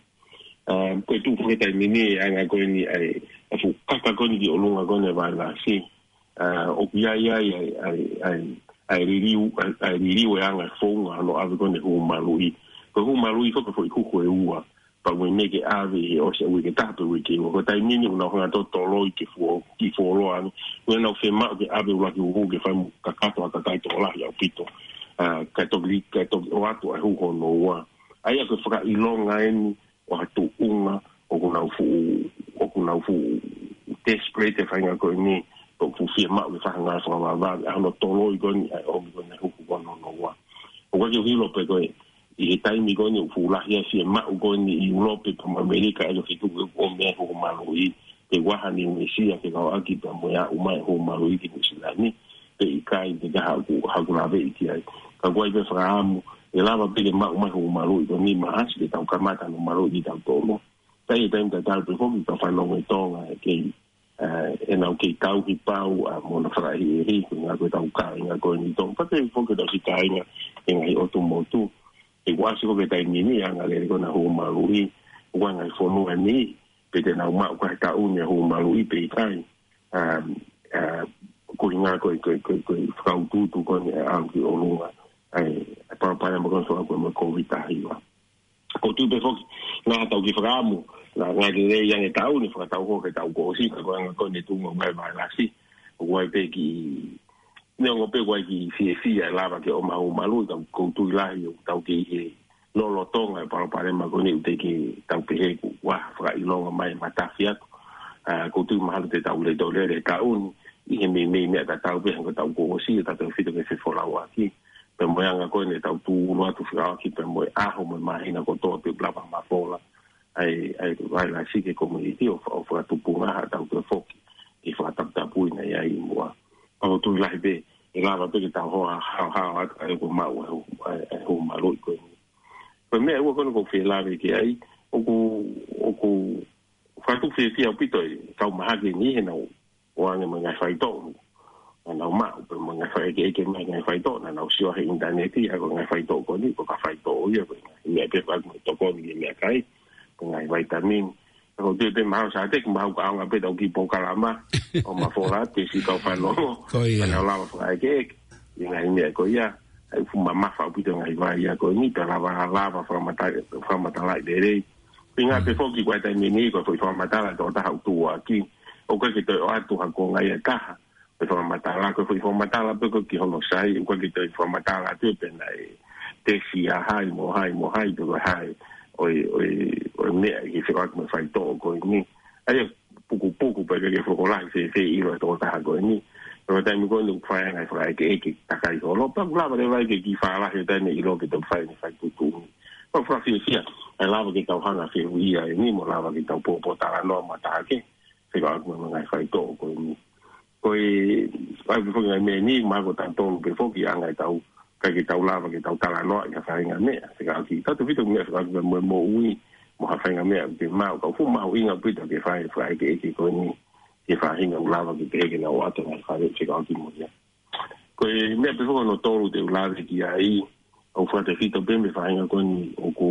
ʻA, ko e tuʻu foki he taimi ni e anga ko eni ʻa e, ʻa e fuʻu kaka ko eni ki ʻolunga ko eni e vailasi. ʻA, ʻoku ʻi ai, ʻi ai, ʻa e, ʻa e, ʻa e, ʻa e liliu, ʻa e, ʻa e liliu e anga e founga hono ʻave ko eni e huhu maluʻi. Ko e huhu maluʻi foki ko e foʻi huhu ʻe ua. Pea ʻoku ʻi ai e meʻa ke ʻave ʻi he ʻosi e uike ʻe taha pe uike ʻe ua. Ko e taimi ni ʻoku nau hanga ʻo toloi ke fuo, ke fuoloa ange. ʻOku nau fiemaʻu ke ʻave ʻuluaki huhu ke fai mo kakato ha kakai tokolahi ʻaupito. ʻA, kae toki, kae toki ʻoatu ʻa e huhu hono ua. ʻA ia ko e fakaʻilonga eni ʻo ha tuʻunga ʻoku nau fuʻu, ʻoku nau fuʻu desperate e faʻahinga ko eni, ʻoku fuʻu fiemaʻu ke fai ha ngāue fakavavevave, ʻa hono toloi ko eni ʻa e ʻomi ko eni e huhu ko eni hono ua. ʻOku ʻikai ke u ʻilo pe ko e, ʻi he taimi ko eni ʻoku fuʻu lahi ai e fiemaʻu ko eni ʻi ʻIulope pea mo ʻAmelika, ʻa ia ʻoku fetuku ke ʻomi e huhu maluʻi, pe ʻoku ʻi ai ha Niu Sila ke kau ʻaki pea mo e aʻu mai e huhu maluʻi ki Nuʻu Sila ni, pe ʻikai, pe ko e hā ʻoku, hā ʻoku laveʻi ki ai. Ka ʻoku ʻi ai pē fakaʻamu, ʻe lava pē ke maʻu mai e huhu maluʻi ko eni Maʻasi ke tau kamata hono maluʻi kitautolu. Ka ʻi he taimi tatau pē foki, tau fanongo ʻi Tonga ʻe kei, ʻa, ʻenau kei tauhi pau, ʻa, mo ʻenau fakaʻehiʻehi, ko e ngaahi ko ʻetau kāinga ko eni ʻi Tonga. Pea pehē foki ʻetau siʻi kāinga ʻi he ngaahi ʻotu motu. ʻOku ʻasi ko ē ki he taimi ni, ʻa e angalelei ko ena e huhu maluʻi, ʻoku ʻi ai e ngaahi fonua ni, pe te nau maʻu ʻi he taʻu ni e huhu maluʻi pe ʻikai. Um, uh, ko e ʻuhinga ko e, ko e, ko e, ko e fakautuutu ko eni ʻe ʻalu ki ʻolunga. ʻA e, ʻa e palopalema ko eni ʻoku fekauʻaki mo e Kōviti taha hiva. ʻOku ou tui pē foki, naʻa tau kiʻi fakaʻamu, naʻa ngali lelei ange e taʻu ni, fakatau hoko ki he taʻu kuo ʻosi, ka ko e anga ko eni e tuʻunga ʻo e vailasi. ʻOku ʻi ai pē kiʻi, neongo pē ʻoku ʻi ai e kiʻi fiefia ʻe lava ke ʻomai e huhu maluʻi, ka ʻoku ou tui lahi ʻoku tau kei ʻi he lolotonga e palopalema ko eni ʻoku teʻeki ke tau pehē kuo ʻi ai ha fakaʻilonga mai matafi atu. ʻA, ʻoku ou tui mahalo te tau lele tau lele he taʻu ni, ʻi he meimei meʻa tatau pē hangē ko e taʻu kuo ʻosi, ʻo tautefito ki he fefolauʻaki. Pea mo e anga ko eni ʻetau tūʻulu atu fekauʻaki pea mo e ʻaho mo e māhina kotoa pē ʻoku lava mafola ʻa e, ʻa e vailasi ki he komiunitī ʻo fa-, ʻo fakatupunga ha tautefito foki ke fakataputapui naʻe ʻi ai ʻi muʻa. Ka ʻoku ou tui lahi pē, ʻe lava pē ke tau hoa haohaoa atu ʻa e ʻoku maʻu ʻa e huhu, ʻa e, ʻa e huhu maluʻi ko eni. Ko e meʻa ʻe ua ko eni ʻoku ou fie lave ki ai, ʻoku, ʻoku fakatuʻu fiefia ʻaupito e kau mahaki ni he naʻa nau ʻoange mo e ngaahi faitoʻo naʻa nau maʻu, pea mo e ngaahi fakaʻekeʻeke mai e ngaahi faitoʻo naʻa nau sio he ʻinitaneti, ʻa ia ko e ngaahi faitoʻo ko eni, ko e faitoʻo ia, ko e ngaahi meʻa pē ʻoku ʻikai ke tokoni ki he meʻakai, ko e ngaahi vaitamini. Ka ʻoku ou tui pē mahalo Sāteki, mahalo ʻoku ʻaonga pē ʻetau kiʻi polokalama ʻo mafola atu e siʻi kau fanongo. Ko ia. Pea nau lava fakaʻekeʻeke ʻi he ngaahi meʻa ko ia. ʻA ia ʻoku fuʻu mamafa ʻaupito e ngaahi vai ia ko eni, pea lava, lava fakamata-, fakamatalaʻi lelei. Ko e ʻuhinga pē foki ko e taimi ni, ko e foʻi fakamatala ʻa e tokotaha ʻoku tuʻuaki, ʻoku ʻikai ke toe ʻoatu ha konga ia ʻe taha. Ko e fakamatala, ko e foʻi fakamatala pē ko ē ki hono sai, ʻoku ʻikai ke toe fakamatala atu pē naʻe tesi ʻa hai mo hai mo hai, pe ko e hā e, ʻo e, ʻo e, ʻo e meʻa ʻi he fekauʻaki mo e faitoʻo ko eni. ʻA ia, pukupuku pē ke ke fokolahi fēfē ʻilo e tokotaha ko eni. Ko e taimi ko eni ʻoku fai ai e ngaahi fakaʻekeʻeke takai holo, pea ʻoku lava leva ke kiʻi fālahi e taimi ʻilo ke toe fai e ngaahi faituʻutuʻuni. Pea ʻoku fakafiefia, ʻe lava ke tau hanga ʻo fehuʻia eni mo lava ke tau pōpōtalanoa mo tāke, fekauʻaki mo e ngaahi faitoʻo ko eni. Ko e, ʻa ia pē foki e ngaahi meʻa ni, mahalo ko tautolu pē foki ʻa e ngaahi tau, ʻikai ke tau lava ke tau talanoaʻi ha faʻahinga meʻa, fekauʻaki, tautefito meʻa fekauʻaki mo e moʻui, mo ha faʻahinga meʻa ʻoku te maʻu, ka ʻoku fuʻu mahuʻinga ʻaupito ke fai e fakaʻekeʻeke ko eni, ki he faʻahinga ʻoku lava ke pehē ke nau ʻoatu e ngaahi fale fekauʻaki mo ia. Ko e meʻa pē foki hono tolu te u lave ki ai, ʻoku fakatefito pē mo e faʻahinga ko eni ʻoku,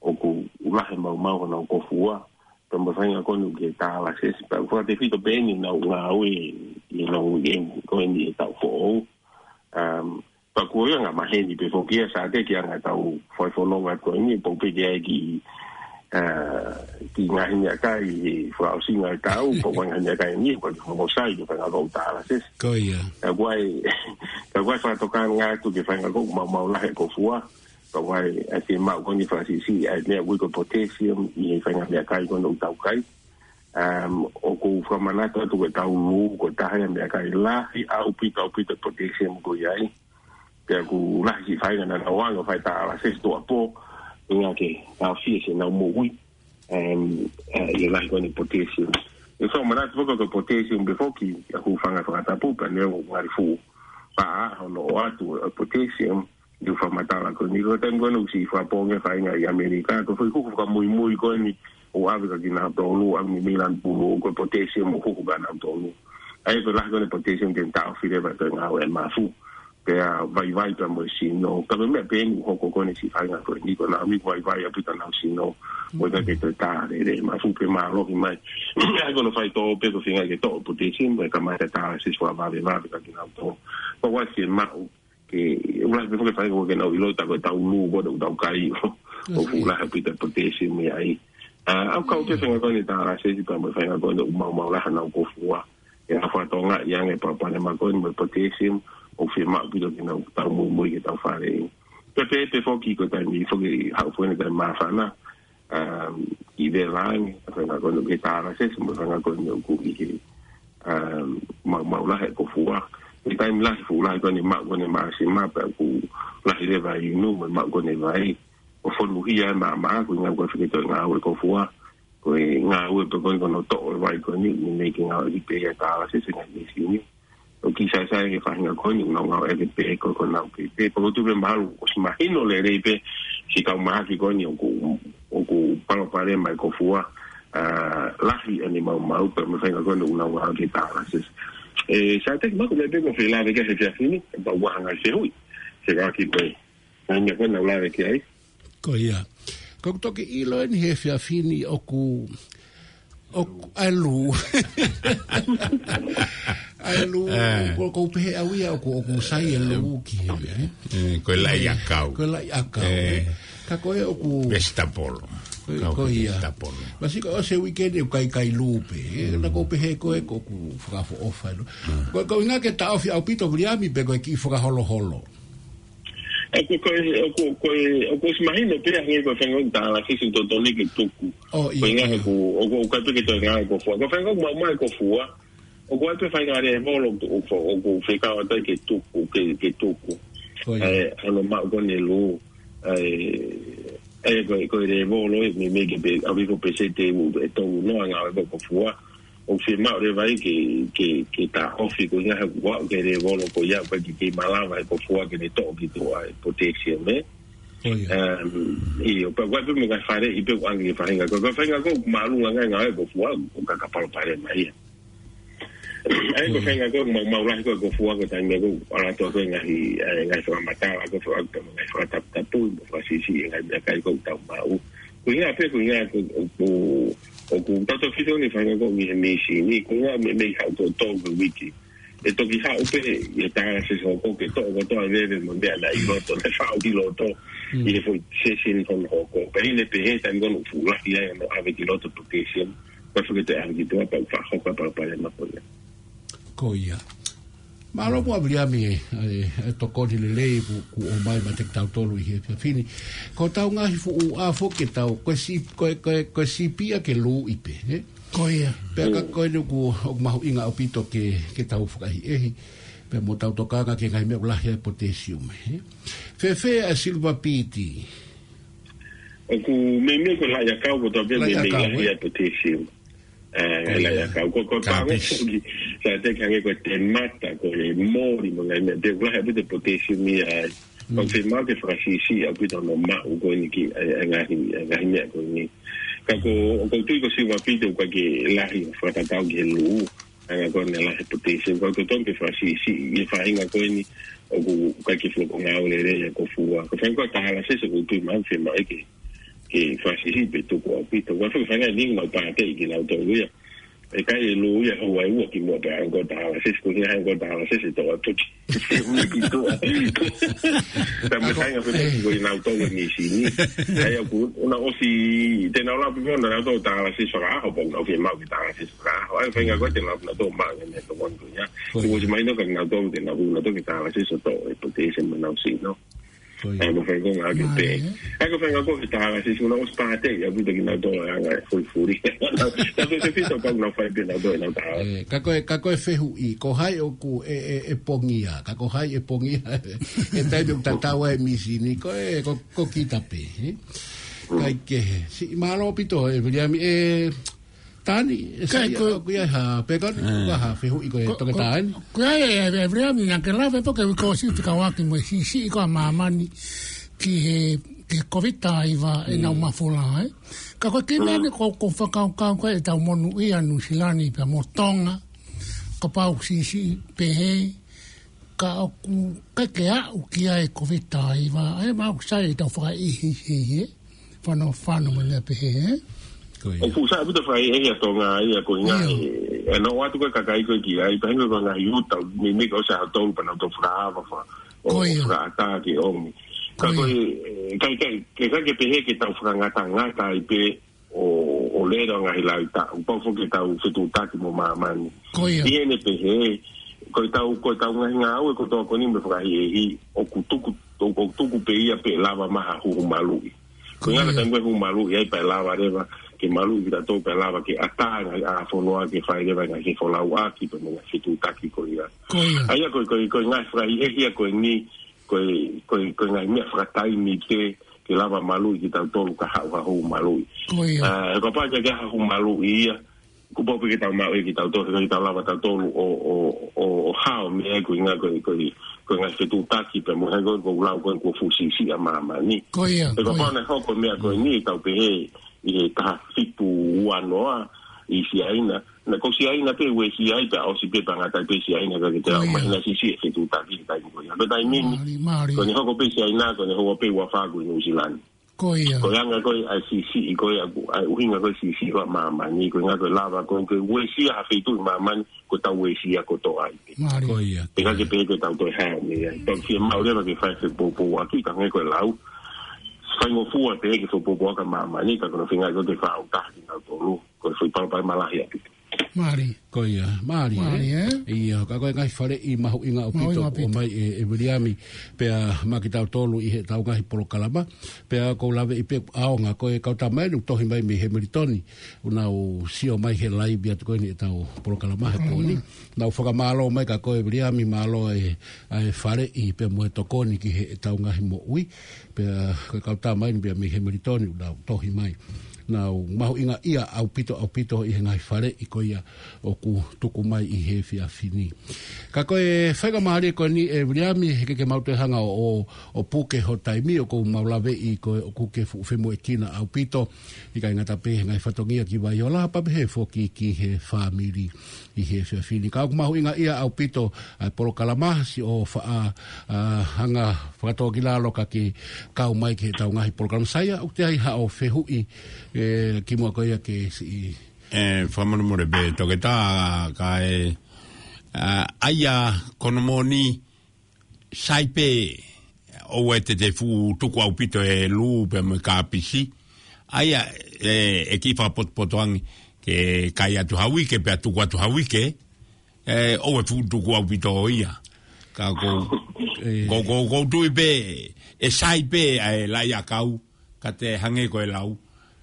ʻoku lahi e maumau honau kofua, pea mo e faʻahinga ko eni ʻoku ke tālasesi, pea ʻoku fakatefito pē eni ʻenau ngāue ʻi heʻenau weekend ko eni he taʻu foʻou. Um, pea ʻoku ʻi ai e anga maheni pē foki ia Sāteki ʻa e anga ʻetau faifononga ko eni, pau pē ke ʻai ki, uh, ki he ngaahi meʻakai he fakaʻosinga e taʻu, pea ko e ngaahi meʻakai ni, ko e ʻoku sai ke faʻahinga ʻoku tālasesi. Ko ia. Ka ʻoku ʻi ai, ka ʻoku ʻi ai e fakatokanga atu ki he faʻahinga ʻoku maumau lahi e kofua, ka ʻoku ʻi ai e fiemaʻu ko eni fakasiʻisiʻi ʻa e meʻa ʻoku ui ko e potassium ʻi he faʻahinga meʻakai ko eni ʻoku tau kai. Um, ʻoku ou fakamanatu atu ko e taulū, ko e taha ia e meʻakai lahi ʻaupito, ʻaupito e potassium ʻoku ʻi ai. Pea ʻoku lahi e siʻi faʻahinga naʻa nau ō ange ʻo fai tālasesi tuʻuapō, ʻuhinga ke taʻofia siʻenau moʻui. Um, uh, ʻi he lahi ko eni e potassium. ʻOku ou fakamanatu foki ko e potassium pē foki, ʻoku hūfanga he fakatapu, pea neongo ʻoku ngali fuʻu paʻa hono ʻoatu e potassium, ʻi he fakamatala ko eni, ko e taimi ko eni ʻoku siʻi fakapōngi e faʻahinga ʻi ʻAmelika, ko e foʻi huhu fakamuimui ko eni ʻoku ʻave kia kinautolu, ʻa e meimei lanu pulu, ko e potassium ʻoku huhu kia kinautolu. ʻA ia ko e lahi ko eni e potassium te ne taʻofi leva e ngāue ʻa e mafu. Pea vaivai pea mo e sino. Ka ko e meʻa pē eni ʻoku hoko ko eni siʻi faʻahinga ko eni, ko ʻenau ʻomi ko e vaivai ʻaupito honau sino. Mo e ʻikai ke toe tā lelei e mafu pea mālohi mai. ʻA ia ko hono faitoʻo pē ko e feinga ke toʻo e potassium, pea kamata e tālasesi fakavavevave kia kinautolu. Pea ʻoku ʻasi e maʻu ke, ʻoku lahi pē foki e faʻahinga ʻoku ʻikai ke nau ʻilo ʻe tautolu ko e taulū ko ē ʻoku tau kai. ʻOku fuʻu lahi ʻaupito e potassium ia ai. ʻA, ʻoku kau pē faʻahinga ko eni e tālasesi pea mo e faʻahinga ko eni ʻoku maumau lahi honau kofua. ʻE ʻalu fakatokangaʻi ange e palopalema ko eni mo e potassium, ʻoku fiemaʻu ʻaupito ke nau tau muimui ki heʻetau faleʻi. Pea pehē pē foki ko e taimi foki haʻu foki he taimi māfana, um, ʻi vela ange, faʻahinga ko eni ʻoku ʻi ai e tālasesi mo e faʻahinga ko eni ʻoku ʻi he, um, maumau lahi e kofua. He taimi lahi, fuʻu lahi ko eni e maʻu ko eni e māsima, pea ʻoku lahi leva e inu mo e maʻu ko eni e vai. ʻO fonuhia e maʻamaʻa, ko e ʻuhinga ko e feketoʻi ngāue e kofua. Ko e ngāue pē ko eni ko hono toʻo e vai ko eni, meimei ke ngāueʻaki pē ia e tālasesi he ngaahi mīsini. ʻOku kiʻi saisai e faʻahinga ko eni, ʻoku nau ngāueʻaki pē ko, ko honau pē. Pea ʻoku ou tui pē mahalo ʻosi mahino lelei pē siʻi kau mahaki ko eni ʻoku, ʻoku palopalema e kofua, ʻa, lahi ʻene maumau pea mo e faʻahinga ko eni ʻoku nau ngāueʻaki e tālasesi. ʻE, Sāteki, mahalo ko e meʻa pē ʻoku ou fie lave ki ai he efiafi ni, pea ʻoku ʻi ai ha ngaahi fehuʻi, se ka ki pē. Ngaahi meʻa ko eni naʻá ku lave ki ai. Ko ia. Ko ʻeku toki ʻilo eni he efiafi ni ʻoku, ʻoku ʻai e lū. ʻAi e lū, ʻoku ou pehē au ia ʻoku, ʻoku sai e lū ki he, ē? Ko e laʻi ʻakau. Ko e laʻi ʻakau, ē? Ka ko e ʻoku vegetable. Ko, ko ia. Vegetable. Masiʻi ko e ʻosi e uike ni ʻoku ʻikai kai lū pē, ē? Naʻá ku pehē ko e ʻoku fakaʻofoʻofa e lū. Ko, ko e ʻuhinga ke taʻofi ʻaupito Viliami pe ko e kiʻi fakaholoholo. ʻOku, ko e, ʻoku, ko e, ʻoku ʻosi mahino pē hangē ko e faʻahinga tālasesi ʻoku totonu ke tuku. ʻIo. Ko e ʻuhinga he ʻoku, ʻoku, ʻoku ʻikai pē ke toe ngāue e kofua. Ko e faʻahinga ʻoku maumau e kofua. ʻOku ʻi ai pē faʻahinga lēvolo ʻoku, ʻoku, ʻoku fekau atu ai ke tuku, ke, ke tuku. Ko ia. ʻE, hono maʻu ko eni e lū. ʻE, ʻe, ko e, ko e lēvolo ē, meimei ke pē, ʻalu hifo peseti ʻe tolu noa e ngāue e kofua. ʻOku fiemaʻu leva ia ke, ke, ke taʻofi ko e ʻuhinga he ʻoku aʻu ki he lēvolo ko ia ʻoku ʻikai ke malava e kofua ke ne toʻo ki tuʻa e potassium, ē? Ko ia. Um, ʻio, pea ʻoku ʻi ai pē mo e ngaahi faleʻi pē ʻoku ʻange ki he faʻahinga ko e, ko e faʻahinga ko e ʻoku māʻolunga ange e ngāue e kofua, ʻoku ʻikai ke palopalema ia. ʻA ia ko e faʻahinga ko e ʻoku maumau lahi ko e kofua ko e taimi ko ē ʻoku ʻalu atu ko e ngaahi, ʻa e ngaahi fakamatala ko e faka-, ngaahi fakataputapui mo fakasiʻisiʻi e ngaahi meʻakai ko ē ʻoku tau maʻu. Ko e ʻuhinga pē ko e ʻuhinga ko e, ʻoku, ʻoku tautefito eni e faʻahinga ko eni he mīsini, ko e ʻuhinga meimei haʻu kotoa e uike. ʻE toki haʻu pē ʻa e tālasesi hoko ke toʻo kotoa e veve mo e meʻa naʻe ʻi loto, naʻe faʻu ki loto, ʻi he foʻi sesini hono hoko. Pea ʻi heʻene pehē taimi ko ē ʻoku fuʻu lahi ai hono ʻave ki loto e potassium, pea fekete ʻave ki tuʻa pea ʻoku fakahoko e palopalema ko ia. Ko ia. Mālō muʻa Viliami, ē, ʻa e, ʻa e tokoni lelei kuo, kuo ʻomai maʻa kitautolu ʻi he efiafi ni. Ko ʻetau ngaahi fuʻu ʻā foki ʻetau, ko e sī-, ko e, ko e, ko e sīpinga ke lūʻi pē, ē? Ko ia. Pea ka ko eni ʻoku, ʻoku mahuʻinga ʻaupito ke, ke tau fakaʻehiʻehi. Pea mo tau tokanga ki he ngaahi meʻa ʻoku lahi ai e potassium, ē? Fēfē ʻa e silver beet? ʻOku meimei ko e laʻi ʻakau kotoa pē meimei lahi ai e potassium. ʻE, laʻi ʻakau. Ko, ko e pāngo foki, Sāteki, hangē ko e temata, ko e moli mo e ngaahi meʻa, pea ʻoku lahi ʻaupito e potassium ia ai. ʻOku fiemaʻu ke fakasiʻisiʻi ʻaupito hono maʻu ko eni ki he, ʻa e, ʻa e ngaahi, ʻa e ngaahi meʻa ko eni. Ka ko, ʻoku ou tui ko e silver beet ʻoku ʻikai ke lahi fakatatau ki he lū, ʻa e ngaahi ko eni lahi e potassium. Ka ʻoku totonu ke fakasiʻisiʻi e faʻahinga ko eni ʻoku ʻikai ke fuʻu ngāue lelei e kofua. Ko e faʻahinga ko e tālasesi ʻoku ou tui mahalo fiemaʻu ke ke fakasiʻisiʻi pea tuku ʻaupito. Ko e faʻahinga ʻeni ʻoku nau pāteʻi kinautolu ia. ʻE kai e lū ia ʻo ʻai ua kimuʻa pea ʻai ko e tālasesi, ko e ʻuhinga he ko e tālasesi ʻe toʻo atu ki he ʻuhi ki tuʻa. Pea mo e faʻahinga pē ko kinautolu e mīsini. ʻA ia ʻoku, ʻoku nau ʻosi, te nau lau pē ʻoku nau tau tālasesi fakaʻaho, pea ʻoku nau fiemaʻu ke tālasesi fakaʻaho. ʻA ia faʻahinga ko ē te nau lau ʻoku nau tau maʻu e meʻa tokoni ko ia. Ko ia. Ko e ʻosi mahino ka nau tau te nau ʻoku nau tau ke tālasesi ʻo toʻo e potassium mo ʻenau sino. Ko ia. ʻA ia ko e faʻahinga ko e ngaahi ʻAi ko e faʻahinga ko e tālasesi ʻoku nau ʻosi pāteʻi ʻaupito kinautolu ʻa e anga e fulifuli. Tautefito pē ʻoku nau fai pē ʻenautolu ʻenau tālasesi. Ē, ka ko e, ka ko e fehuʻi, ko hai ʻoku ʻe, ʻe, ʻe pongia, ka ko hai ʻe pongia, he taimi ʻoku tatau ai e mīsini, ko e, ko, ko kita pē, ē? ʻIkai ke he. Siʻi mālō ʻaupito, ē, Viliami, ē, Tani, ʻe sai ko, ʻoku ʻi ai ha, pea ko, ʻa ha fehuʻi ko e toketā ni. Ko ia e, e, e, Viliami naʻá ke lave pē ko e uike kuo ʻosi te kau ʻaki mo e siʻisiʻi ko ē ʻa māmani ki he, ki he Kōviti-19 ʻenau mafola, ē. Ka ko e kiʻi meʻa ni ko, ko e fakakaukau ko ē ʻetau monūʻia Nuʻusila ni pea mo Tonga, kapau siʻisiʻi pehē, ka ʻoku ʻikai ke aʻu ki ai e Kōviti-19, ʻa ia mahalo ʻoku sai ʻetau fakaʻehiʻehi, ē? Fano, fano mo e meʻa pehē, ē? Ko ia. ʻOku sai ʻaupito fakaʻehiʻehi ʻa Tonga ia ko e ʻuhinga ʻe, ʻe nau ō atu ko e kakai ko ē ki ai, pea hangē ko e ngaahi uta, meimei ka ʻosi ʻaho tolu pea nau toe fakaava fa-, ʻo, ʻo fakaʻatā ke ʻomi. Ka ko e, ʻikai, ʻikai, ʻikai ke pehē ke tau fakangatangata ai pē ʻo, ʻo lele ʻa e ngaahi lau ʻi taʻu. Pau foki ke tau fetuʻutaki mo māmani. Ko ia. ʻI heʻene pehē, ko e tau, ko e tau ngaahi ngāue kotoa ko eni mo e fakaʻehiʻehi, ʻoku tuku, ʻoku tuku pē ia pea lava mai ha huhu maluʻi. Ko e ngaahi taimi ko ē huhu maluʻi ai pea lava leva ke maluʻi kitautolu pea lava ke ʻatā e ngaahi ʻā fonua ke fai leva e ngaahi fefolauʻaki pea mo e ngaahi fetuʻutaki ko ia. Ko ia. ʻA ia ko e, ko e, ko e ngaahi fakaʻehiʻehi ia ko eni, ko e, ko e, ko e ngaahi meʻa fakataimi ke, ke lava maluʻi kitautolu ka haʻu ha huhu maluʻi. Ko ia. ʻA, he kapau ʻe ʻikai ke ʻi ai ha huhu maluʻi ia, kuo pau pē ke tau maʻu ia kitautolu, he ʻikai ke tau lava tautolu ʻo, ʻo, ʻo, ʻo hao mei ai ko e ngaahi, ko e, ko e, ko e ngaahi fetuʻutaki pea mo e ngaahi ko e, ko e lau ko e kuo fuʻu siʻisiʻi ʻa māmani. Ko ia, ko ia. He kapau naʻe hoko e meʻa ko eni, tau pehē ʻi he taha fitu ua noa ʻi Siaina, naʻe ko Siaina pē uesia ai pea ʻosi pē pea ngata pē Siaina ka ke te au mai na sisi e fetuʻutaki he taimi ko ia. Ko e taimi ni, ko ʻene hoko pē Siaina, ko ʻene hoko pē ua fā ko ʻi Nuʻusila ni. Ko ia. Ko e anga ko ē ʻa e sisi, ko e ʻuhinga ko e sisi ko ē ʻa māmani, ko e anga ko e lava ko e uesia ha feituʻu ʻi māmani, ko e tau uesia kotoa ai pē. Ko ia. Pea ʻikai ke pehē ke tau toe hao mei ai. Tau fiemaʻu leva ke fai fepoupouaki ka hangē ko e lau. Faingofua pē ke fepoupouaki ʻa māmani, ka ko hono feinga ko ē ke fakaʻuta kinautolu. Ko e foʻi palopalema lahi ʻaupito. Mālie. Ko ia, mālie, ē? Mālie, ē? ʻIo, ka ko e ngaahi faleʻi mahuʻinga ʻaupito ʻoku ʻomai ʻe, ʻe Viliami, pea maʻa kitautolu ʻi heʻetau ngaahi polokalama, pea ʻoku ou laveʻi pē ʻaonga ko e kau tama eni ʻoku tohi mai mei Hamilton, ʻoku nau sio mai he laivi atu ko eni ʻetau polokalama he pō ni. Nau fakamālō mai kia koe Viliami, mālō e, ʻa e faleʻi pea mo e tokoni ki heʻetau ngaahi moʻui. Pea ko e kau tama eni pea mei Hamilton ʻoku nau tohi mai. Nau mahuʻingaʻia ʻaupito, ʻaupito ʻi he ngaahi faleʻi ko ia ʻoku tuku mai ʻi he efiafi ni. Ka ko e faingamālie ko eni ʻe Viliami, he ʻikai ke mau toe hanga ʻo, ʻo, ʻo puke ho taimi ʻoku mau laveʻi ko e ʻoku ke fuʻu femoʻuekina ʻaupito. ʻIkai ngata pē he ngaahi fatongia ki Vaiola, pea pehē foki ki he fāmili ʻi he efiafi ni. Ka ʻoku mahuʻingaʻia ʻaupito ʻa e polokalama, siʻo faʻa, ʻa, hanga fakatōkilalo ka ke kau mai ki heʻetau ngaahi polokalama. Saia, ʻoku ʻi ai haʻo fehuʻi, ē, kimuʻa ko ia ke siʻi. Ē, fakamolemole pē toketā, ka ʻe, ʻa, ʻa ia ko hono moʻoni, sai pē ʻoua te te fuʻu tuku ʻaupito e lū pea mo e kāpisi. ʻA ia, ē, ʻe kiʻi fakapotopoto ange ke kai atu ha uike pea tuku atu ha uike, ē, ʻoua ʻe fuʻu tuku ʻaupito ia. Ka ko, ko, ko, ko tui pē, ʻe sai pē ʻa e laʻi ʻakau, ka te hangē ko e lau.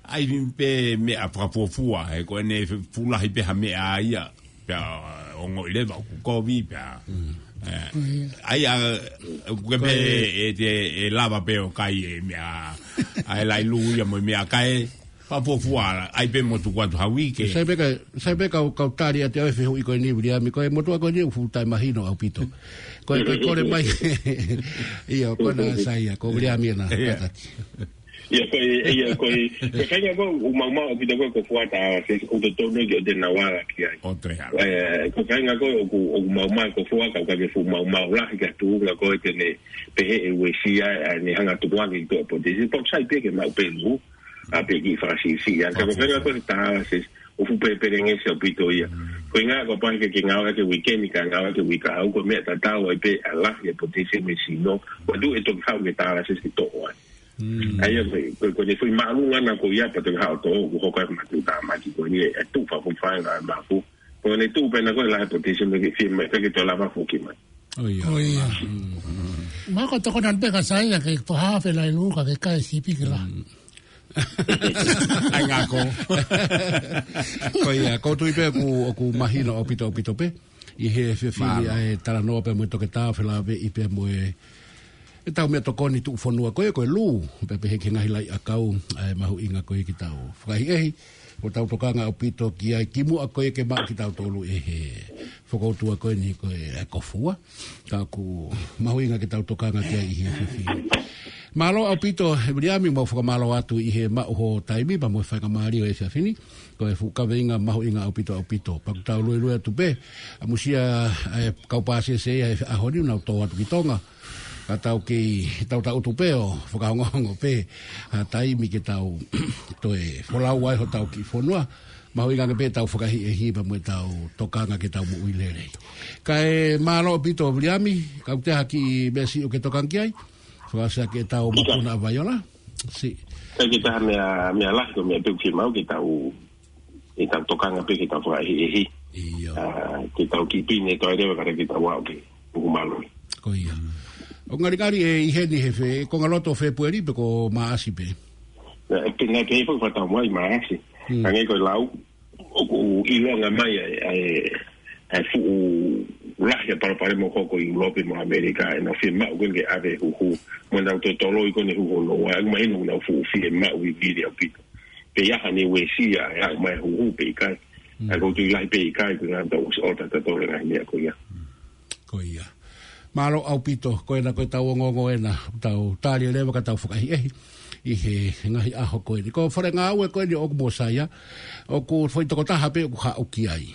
ʻAi pē meʻa fakafuofua, he ko ʻene fuʻu lahi pē ha meʻa ia. Pea ongoʻi leva ʻoku kovi pea. Mm. Ē, ʻa ia, ʻoku ke pē ʻe, ʻe te, ʻe lava pē ʻo kai e meʻa, ʻa e laʻi lū ia mo e meʻakai. Fakafuofua, ʻai pē mo tuku atu ha uike. Sai pē ka, sai pē kau, kau tali atu ʻa e fehuʻi ko eni Viliami, ko e motuʻa ko eni ʻoku fuʻu taʻemahino ʻaupito. Ko e, ko e kole mai. ʻIo, ko ena saia, ko Viliami ena. ʻIa. Kātaki. ʻIa, ko e, ʻia, ko e, ko e faʻahinga ko ē ʻoku maumau ʻaupito ko ē ko Fuata, se ʻoku totonu ke ʻoua te nau ala ki ai. ʻOua te ala. Ē, ko e faʻahinga ko ē ʻoku, ʻoku maumau ko Fuata, ka ʻoku ʻikai ke fuʻu maumau lahi ki ha tuʻunga ko ē te ne pehē ʻe uesia, ʻa ʻene hanga tukuange ki tuʻa potisi. Pau sai pē ke maʻu pē lū, ʻa pē kiʻi fakasiʻisiʻi. ʻA ka ko e faʻahinga ko ē tālasi, ʻoku fuʻu pē, pēlengesi ʻaupito ia. Mm. Ko e ʻuhinga ko e pau ke, ke ngāueʻaki e uikeʻeni ka ngāueʻaki e uike kahaʻu, ko e meʻa tatau ai pē ʻa e lahi e potisi mei he sino. Ko e tuʻu ʻe toki haʻu ki he tālasi ke toʻo ai. Mm. ʻA ia ko e, ko e, ko e foʻi māʻolunga ʻana ko ia pea toki haʻu ʻo toʻo, ʻoku hoko ai ko e matuʻutāmaki ko eni ʻe tuʻu fakafuofua ʻa e mafu. Ko ʻene tuʻu pē ʻana ko e lahi e potisi mei he fie mai, ke toe lava foki mai. ʻOia. ʻOia. Mm. Mako tokona pē ka saia ke toha fe laʻi lū ka ke kai sipi ki la. Mm. ʻAi ngako. Ko ia, ʻoku ou tui pē ʻoku, ʻoku mahino ʻaupito, ʻaupito pē. ʻI he efiafi ni ʻa e talanoa pea mo e toketā felāveʻi pea mo e, ʻetau meʻatokoni tuʻufonua ko ē, ko e lū, pea pehē ki he ngaahi laʻi ʻakau, ʻa e mahuʻinga ko ē ke tau fakaʻehiʻehi, ʻo tau tokanga ʻaupito ki ai kimuʻa ko ē ke maʻu kitautolu ʻe he fokoutua ko eni ko e, ʻa e ko Fua. Ka ʻoku mahuʻinga ke tau tokanga ki ai ʻi he efiafi ni. Mālō ʻaupito, ʻe Viliami, mau fakamālō atu ʻi he maʻu ho taimi, pea mo e faingamālie ʻo e efiafi ni. Ko e fuʻu kaveinga mahuʻinga ʻaupito, ʻaupito. Pea ʻoku tau luelue atu pē, ʻamusia, ʻa e kau pāsese ia he ʻaho ni ʻoku nau tō atu ki Tonga. Ka tau kei, tau tau tuʻu pē ʻo fakahongohongo pē ha taimi ke tau toe folau ai hotau kiʻi fonua. Mahuʻinga ange pē ʻetau fakaʻehiʻehi pea mo ʻetau tokanga ki heʻetau moʻui lelei. Kae mālō ʻaupito Viliami, ka ʻoku ʻi ai ha kiʻi meʻa siʻi ʻoku ke tokanga ki ai? Ko e ʻasi ʻa ke tau mapuna ʻa Vaiola. Si. Ka ke taha meʻa, meʻa lahi ko e meʻa pē ʻoku fiemaʻu ke tau, ke tau tokanga pē ke tau fakaʻehiʻehi. ʻIo. ʻA, ke tau kipine toe leva ka ke tau aʻu ke uhu malui. Ko ia. ʻOku ngalingali ʻe ʻi heni he fe-, ko e ngaloto Fēpueli pe ko Maʻasi pē. Naʻe pē, naʻe pē foki fakatau mai Maʻasi. Hmm. Hangē ko e lau, ʻoku ʻilonga mai ʻa e, ʻa e, ʻa e fuʻu lahi ʻa e palopalema ʻoku hoko ʻi ʻIulope mo ʻAmelika, ʻenau fiemaʻu ko eni ke ʻave huhu, mo ʻenau toe toloi ko eni huhu noa, ʻoku mahino ʻoku nau fuʻu fiemaʻu vivili ʻaupito. Pe ʻe ʻi ai hano uesia ʻa e aʻu mai huhu pe ʻikai. Mm. ʻA e ʻoku tui lahi pe ʻikai, ko e ngata ʻosi ʻota tatau e ngaahi meʻa ko ia. Ko ia. Mālō ʻaupito, ko ena ko e tau ongoongo ena, tau tali leva ka tau fakaʻehiʻehi ʻi he ngaahi ʻaho ko eni. Ko e fale ngāue ko eni ʻoku Mōsaia, ʻoku foʻi tokotaha pē ʻoku haʻu ki ai.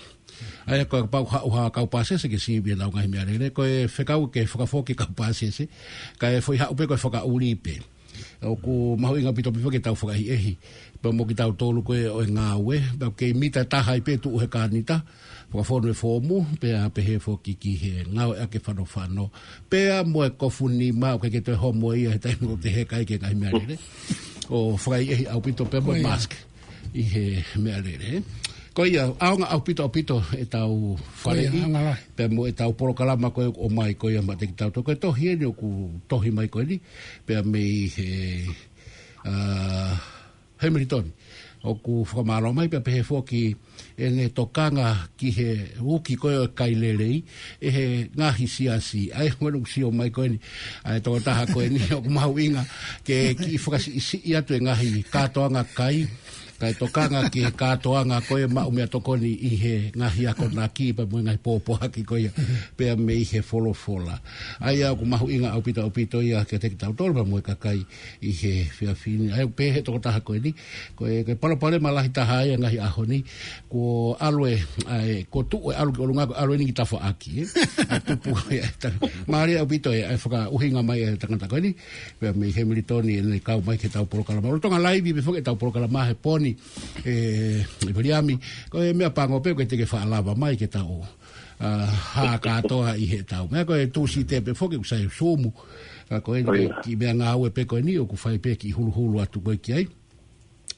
ʻA ia ko e kapau haʻu ha kau pāsese ke sivi ʻenau ngaahi meʻalele, ko e fekau ke fakafoki kau pāsese, kae foʻi haʻu pē ko e fakaʻuli pē. ʻOku mahuʻinga ʻaupito pē ke tau fakaʻehiʻehi. Pea mo kitautolu ko ē ʻo e ngāue, pea kei mita taha ai pē tuʻu he kānita, fakafonu e foomu, pea pehē foki ki he ngāueʻaki fanofano. Pea mo e kofu nima ʻoku ʻikai ke toe homo ia he taimi ʻoku te heka ai ki he ngaahi meʻalele. ʻO fakaʻehiʻehi ʻaupito pea mo e mask ʻi he meʻalele. Ko ia, ʻaonga ʻaupito ʻaupito ʻetau faleʻi, pea mo ʻetau polokalama ko ē ʻoku ʻomai ko ia maʻa kitautolu. Ko e tohi eni ʻoku tohi mai ko eni, pea mei he, ʻa, Hamilton. ʻOku fakamālō mai pea pehē foki ʻene tokanga ki he uki ko ē ʻo e kai lelei, ʻe he ngaahi siasi. ʻA ia ko eni ʻoku sio mai ko eni, ʻa e tokotaha ko eni, ʻoku mahuʻinga ke kiʻi fakasiʻisiʻi atu e ngaahi kātoanga kai, kae tokanga ki he kātoanga ko ē maʻu meʻatokoni ʻi he ngaahi akonaki pea mo e ngaahi pōpoaki ko ia, pea mei he folofola. ʻA ia ʻoku mahuʻinga ʻaupito ʻaupito ia kiate kitautolu pea mo e kakai ʻi he efiafi ni. ʻA ia pehē ʻe he tokotaha ko eni, ko e, ko e palopalema lahi taha ia ngaahi ʻaho ni, ko ʻalu e, ʻa e, ko tuʻu e ʻalu ki ʻolunga, ko ʻalu eni ki tafaʻaki, ē? ʻA tupu ia e tanga-, mālie ʻaupito e, ʻa e fakaʻuhinga mai e tangata ko eni, pea mei Hamilton ʻene kau mai ki heʻetau polokalama. ʻOku lolotonga laivi pē foki ʻetau polokalama he pō ni, ē, ʻe Viliami, ko e meʻa pango pē ʻoku ʻikai te ke faʻa lava mai ke tau, ʻa, hā kātoa ʻi heʻetau. Meʻa ko e Tūsite pē foki ʻoku sai Sumu. Ka ko eni ko e kiʻi meʻangāue pē ko eni ʻoku fai pē kiʻi huluhulu atu ko ē ki ai.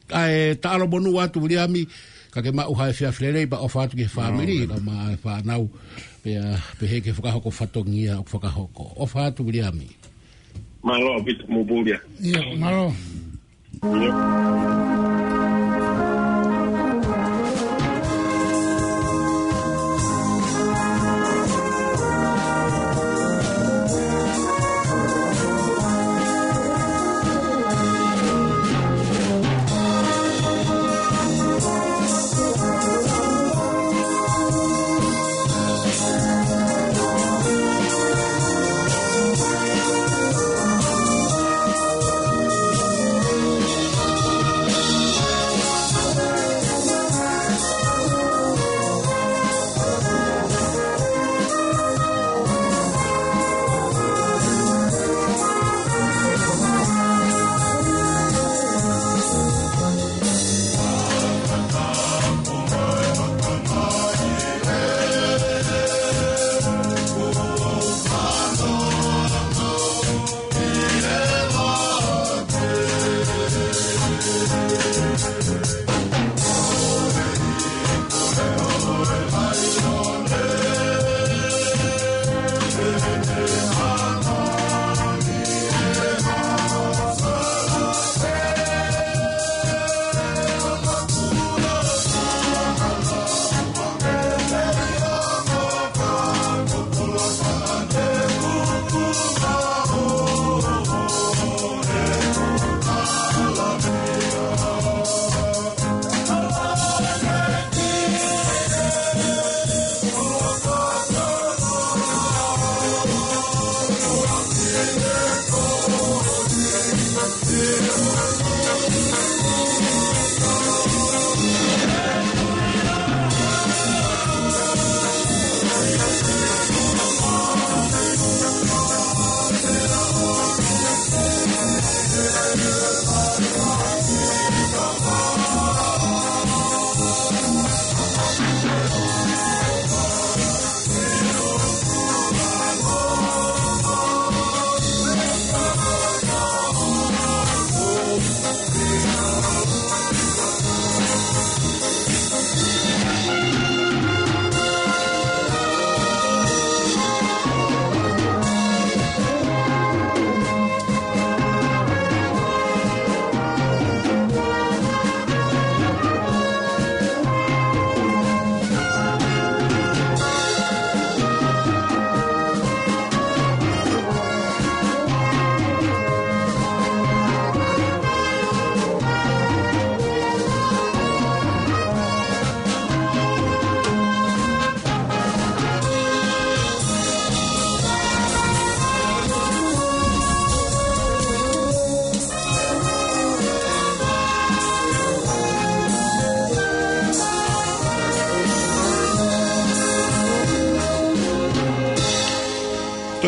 ʻA e taʻalo monū atu Viliami, ka ke maʻu ha efiafi lelei pea ʻofa atu ki he fāmili, ka mo e fānau, pea pehē ki he fakahoko fatongia ʻoku fakahoko. ʻOfa atu Viliami. Mālō ʻaupito mo Pulia. ʻIo, mālō. ʻIo.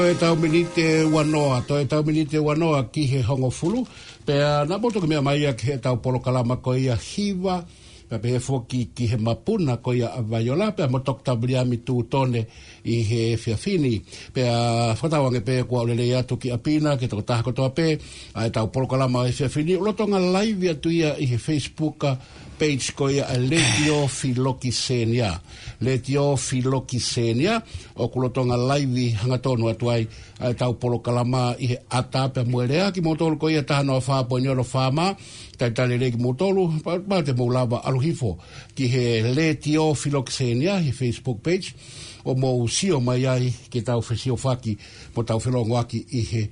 Toe tau miniti ua noa, toe tau miniti ua noa ki he hongofulu. Pea naʻa mou toki meʻa mai ia ki heʻetau polokalama ko ia Hiva, pea pehē foki ki he mapuna ko ia ʻa Vaiola, pea mo Toketā Viliami Tūtone ʻi he efiafi ni. Pea fakatauange pē kuo lelei atu ki ʻapi na, ki he tokotaha kotoa pē, ʻa ʻetau polokalama he efiafi ni, ʻoku lolotonga live atu ia ʻi he Facebook page ko ia ʻa e Letiō Filokisenia. Letiō Filokisenia, ʻoku lolotonga live hangatonu atu ai ʻa ʻetau polokalama ʻi he ʻata pea mo e lea. Kimoutolu ko ia taha noa fā poini ono FM, talitali lelei kimoutolu, pea, pea te mou lava ʻalu hifo ki he Letiō Filokisenia he Facebook page, ʻo mou sio mai ai ki heʻetau fesiofaki mo ʻetau felongoaki ʻi he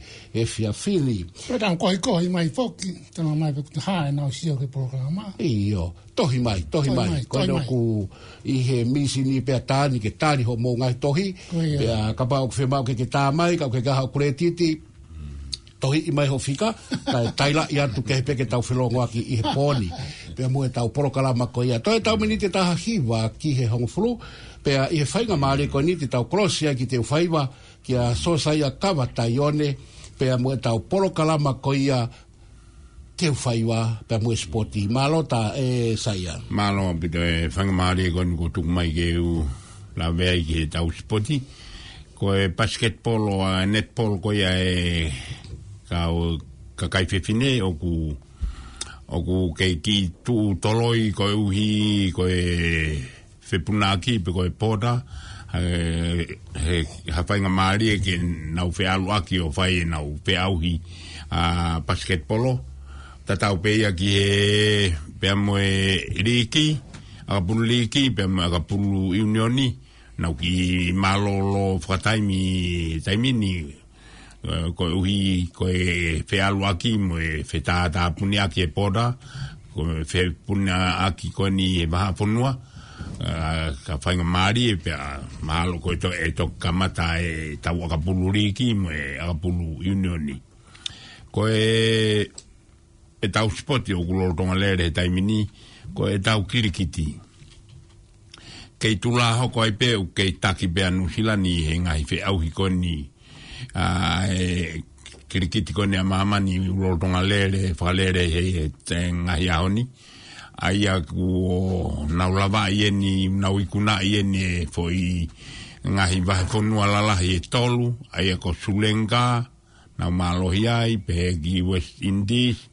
efiafi ni. Pea tau kohikohi mai foki, tau mai pe kuta hae nau sio ki he polokalama. ʻIo, tohi mai, tohi Tohi mai. mai, Ko tohi ena mai. ʻoku ʻi he mīsini pea tā ni ke tali hoʻomou ngaahi tohi. Ko ia. Pea kapau ʻoku fiemaʻu ke ke tā mai, ka ʻoku ke kaha ʻo kuletiti, tohiʻi mai hoʻo fika, kae tailaʻi atu kehe pē ke tau felongoaki ʻi he pō ni. Pea mo ʻetau polokalama ko ia. Toe tau miniti ʻe taha hiva ki he hongofulu, pea ʻi he faingamālie ko eni te tau kolosi ai ki Teufaiva, kia Sosaia Kava Taione, pea mo ʻetau polokalama ko ia Teufaiva, pea mo e sipoti. Mālō ʻaupito ʻe Saia. Mālō ʻaupito e faingamālie ko eni kuo tuku mai ke u lave ai ki heʻetau sipoti. Ko e basketball ʻa e netball ko ia ʻa e kau kakai fefine ʻoku, ʻoku kei kiʻi tuʻu toloi koeʻuhi ko e fepunaʻaki pe ko e pota, he, he, ha faingamālie ke nau feʻaluʻaki ʻo fai ʻenau feʻauhi ʻa e basketball. Tatau pē ia ki he pea mo e liiki, ʻakapulu liiki, pea mo e ʻakapulu ʻiunioni, nau kiʻi mālōlō fakataimi, taimi ni, ē, koeʻuhi ko e feʻaluʻaki mo e fetātāpuniʻaki e pota, ko e fepunaʻaki ko eni he vahaʻa fonua, ē, ka faingamālie pea mahalo ko e toe, ʻe toki kamata ʻetau ʻakapulu liiki mo e ʻakapulu ʻiunioni. Ko e ʻetau sipoti ʻoku lolotonga lele he taimi ni, ko ʻetau kilikiti. Kei tulā hoko ai pē ʻoku kei taki pē ʻa Nuʻusila ni he ngaahi feʻauhi ko eni. ʻA e kilikiti ko eni ʻa māmani ʻoku lolotonga lele, fakalele he, he ngaahi ʻaho ni. ʻA ia kuo nau lavaʻi eni, nau ikunaʻi eni e foʻi ngaahi vahefonua lalahi ʻe tolu, ʻa ia ko Sulenga, nau mālohi ai, pehē ki West Indies,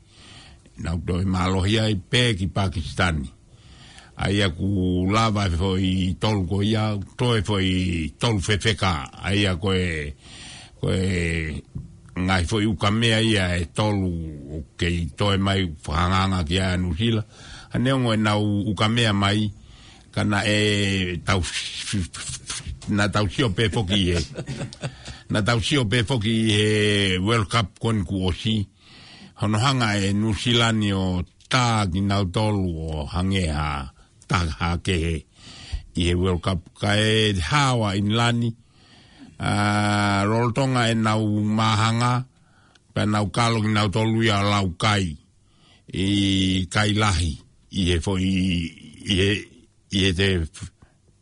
nau toe mālohi ai, pehē ki Pakisitani. ʻA ia kuo lava e foʻi tolu ko ia, toe foʻi tolu fefeka, ʻa ia ko e, ko e ngaahi foʻi ukamea ia ʻe tolu ʻoku kei toe mai fakahangahangai ki ai ʻa Nuʻusila. ʻA neongo ʻenau ukamea mai, ka naʻe tau, naʻa tau sio pē foki he, naʻa tau sio pē foki he World Cup ko eni kuo ʻosi. Hono hanga ʻe Nuʻusila ni ʻo tā kinautolu ʻo hangē ha taha kehe ʻi he World Cup. Kae hao ʻa ʻInilani, ʻa, lolotonga ʻenau māhanga, pea nau kalo kinautolu ia ʻo lau kai ʻi kai lahi, ʻi he foʻi, ʻi he, ʻi he te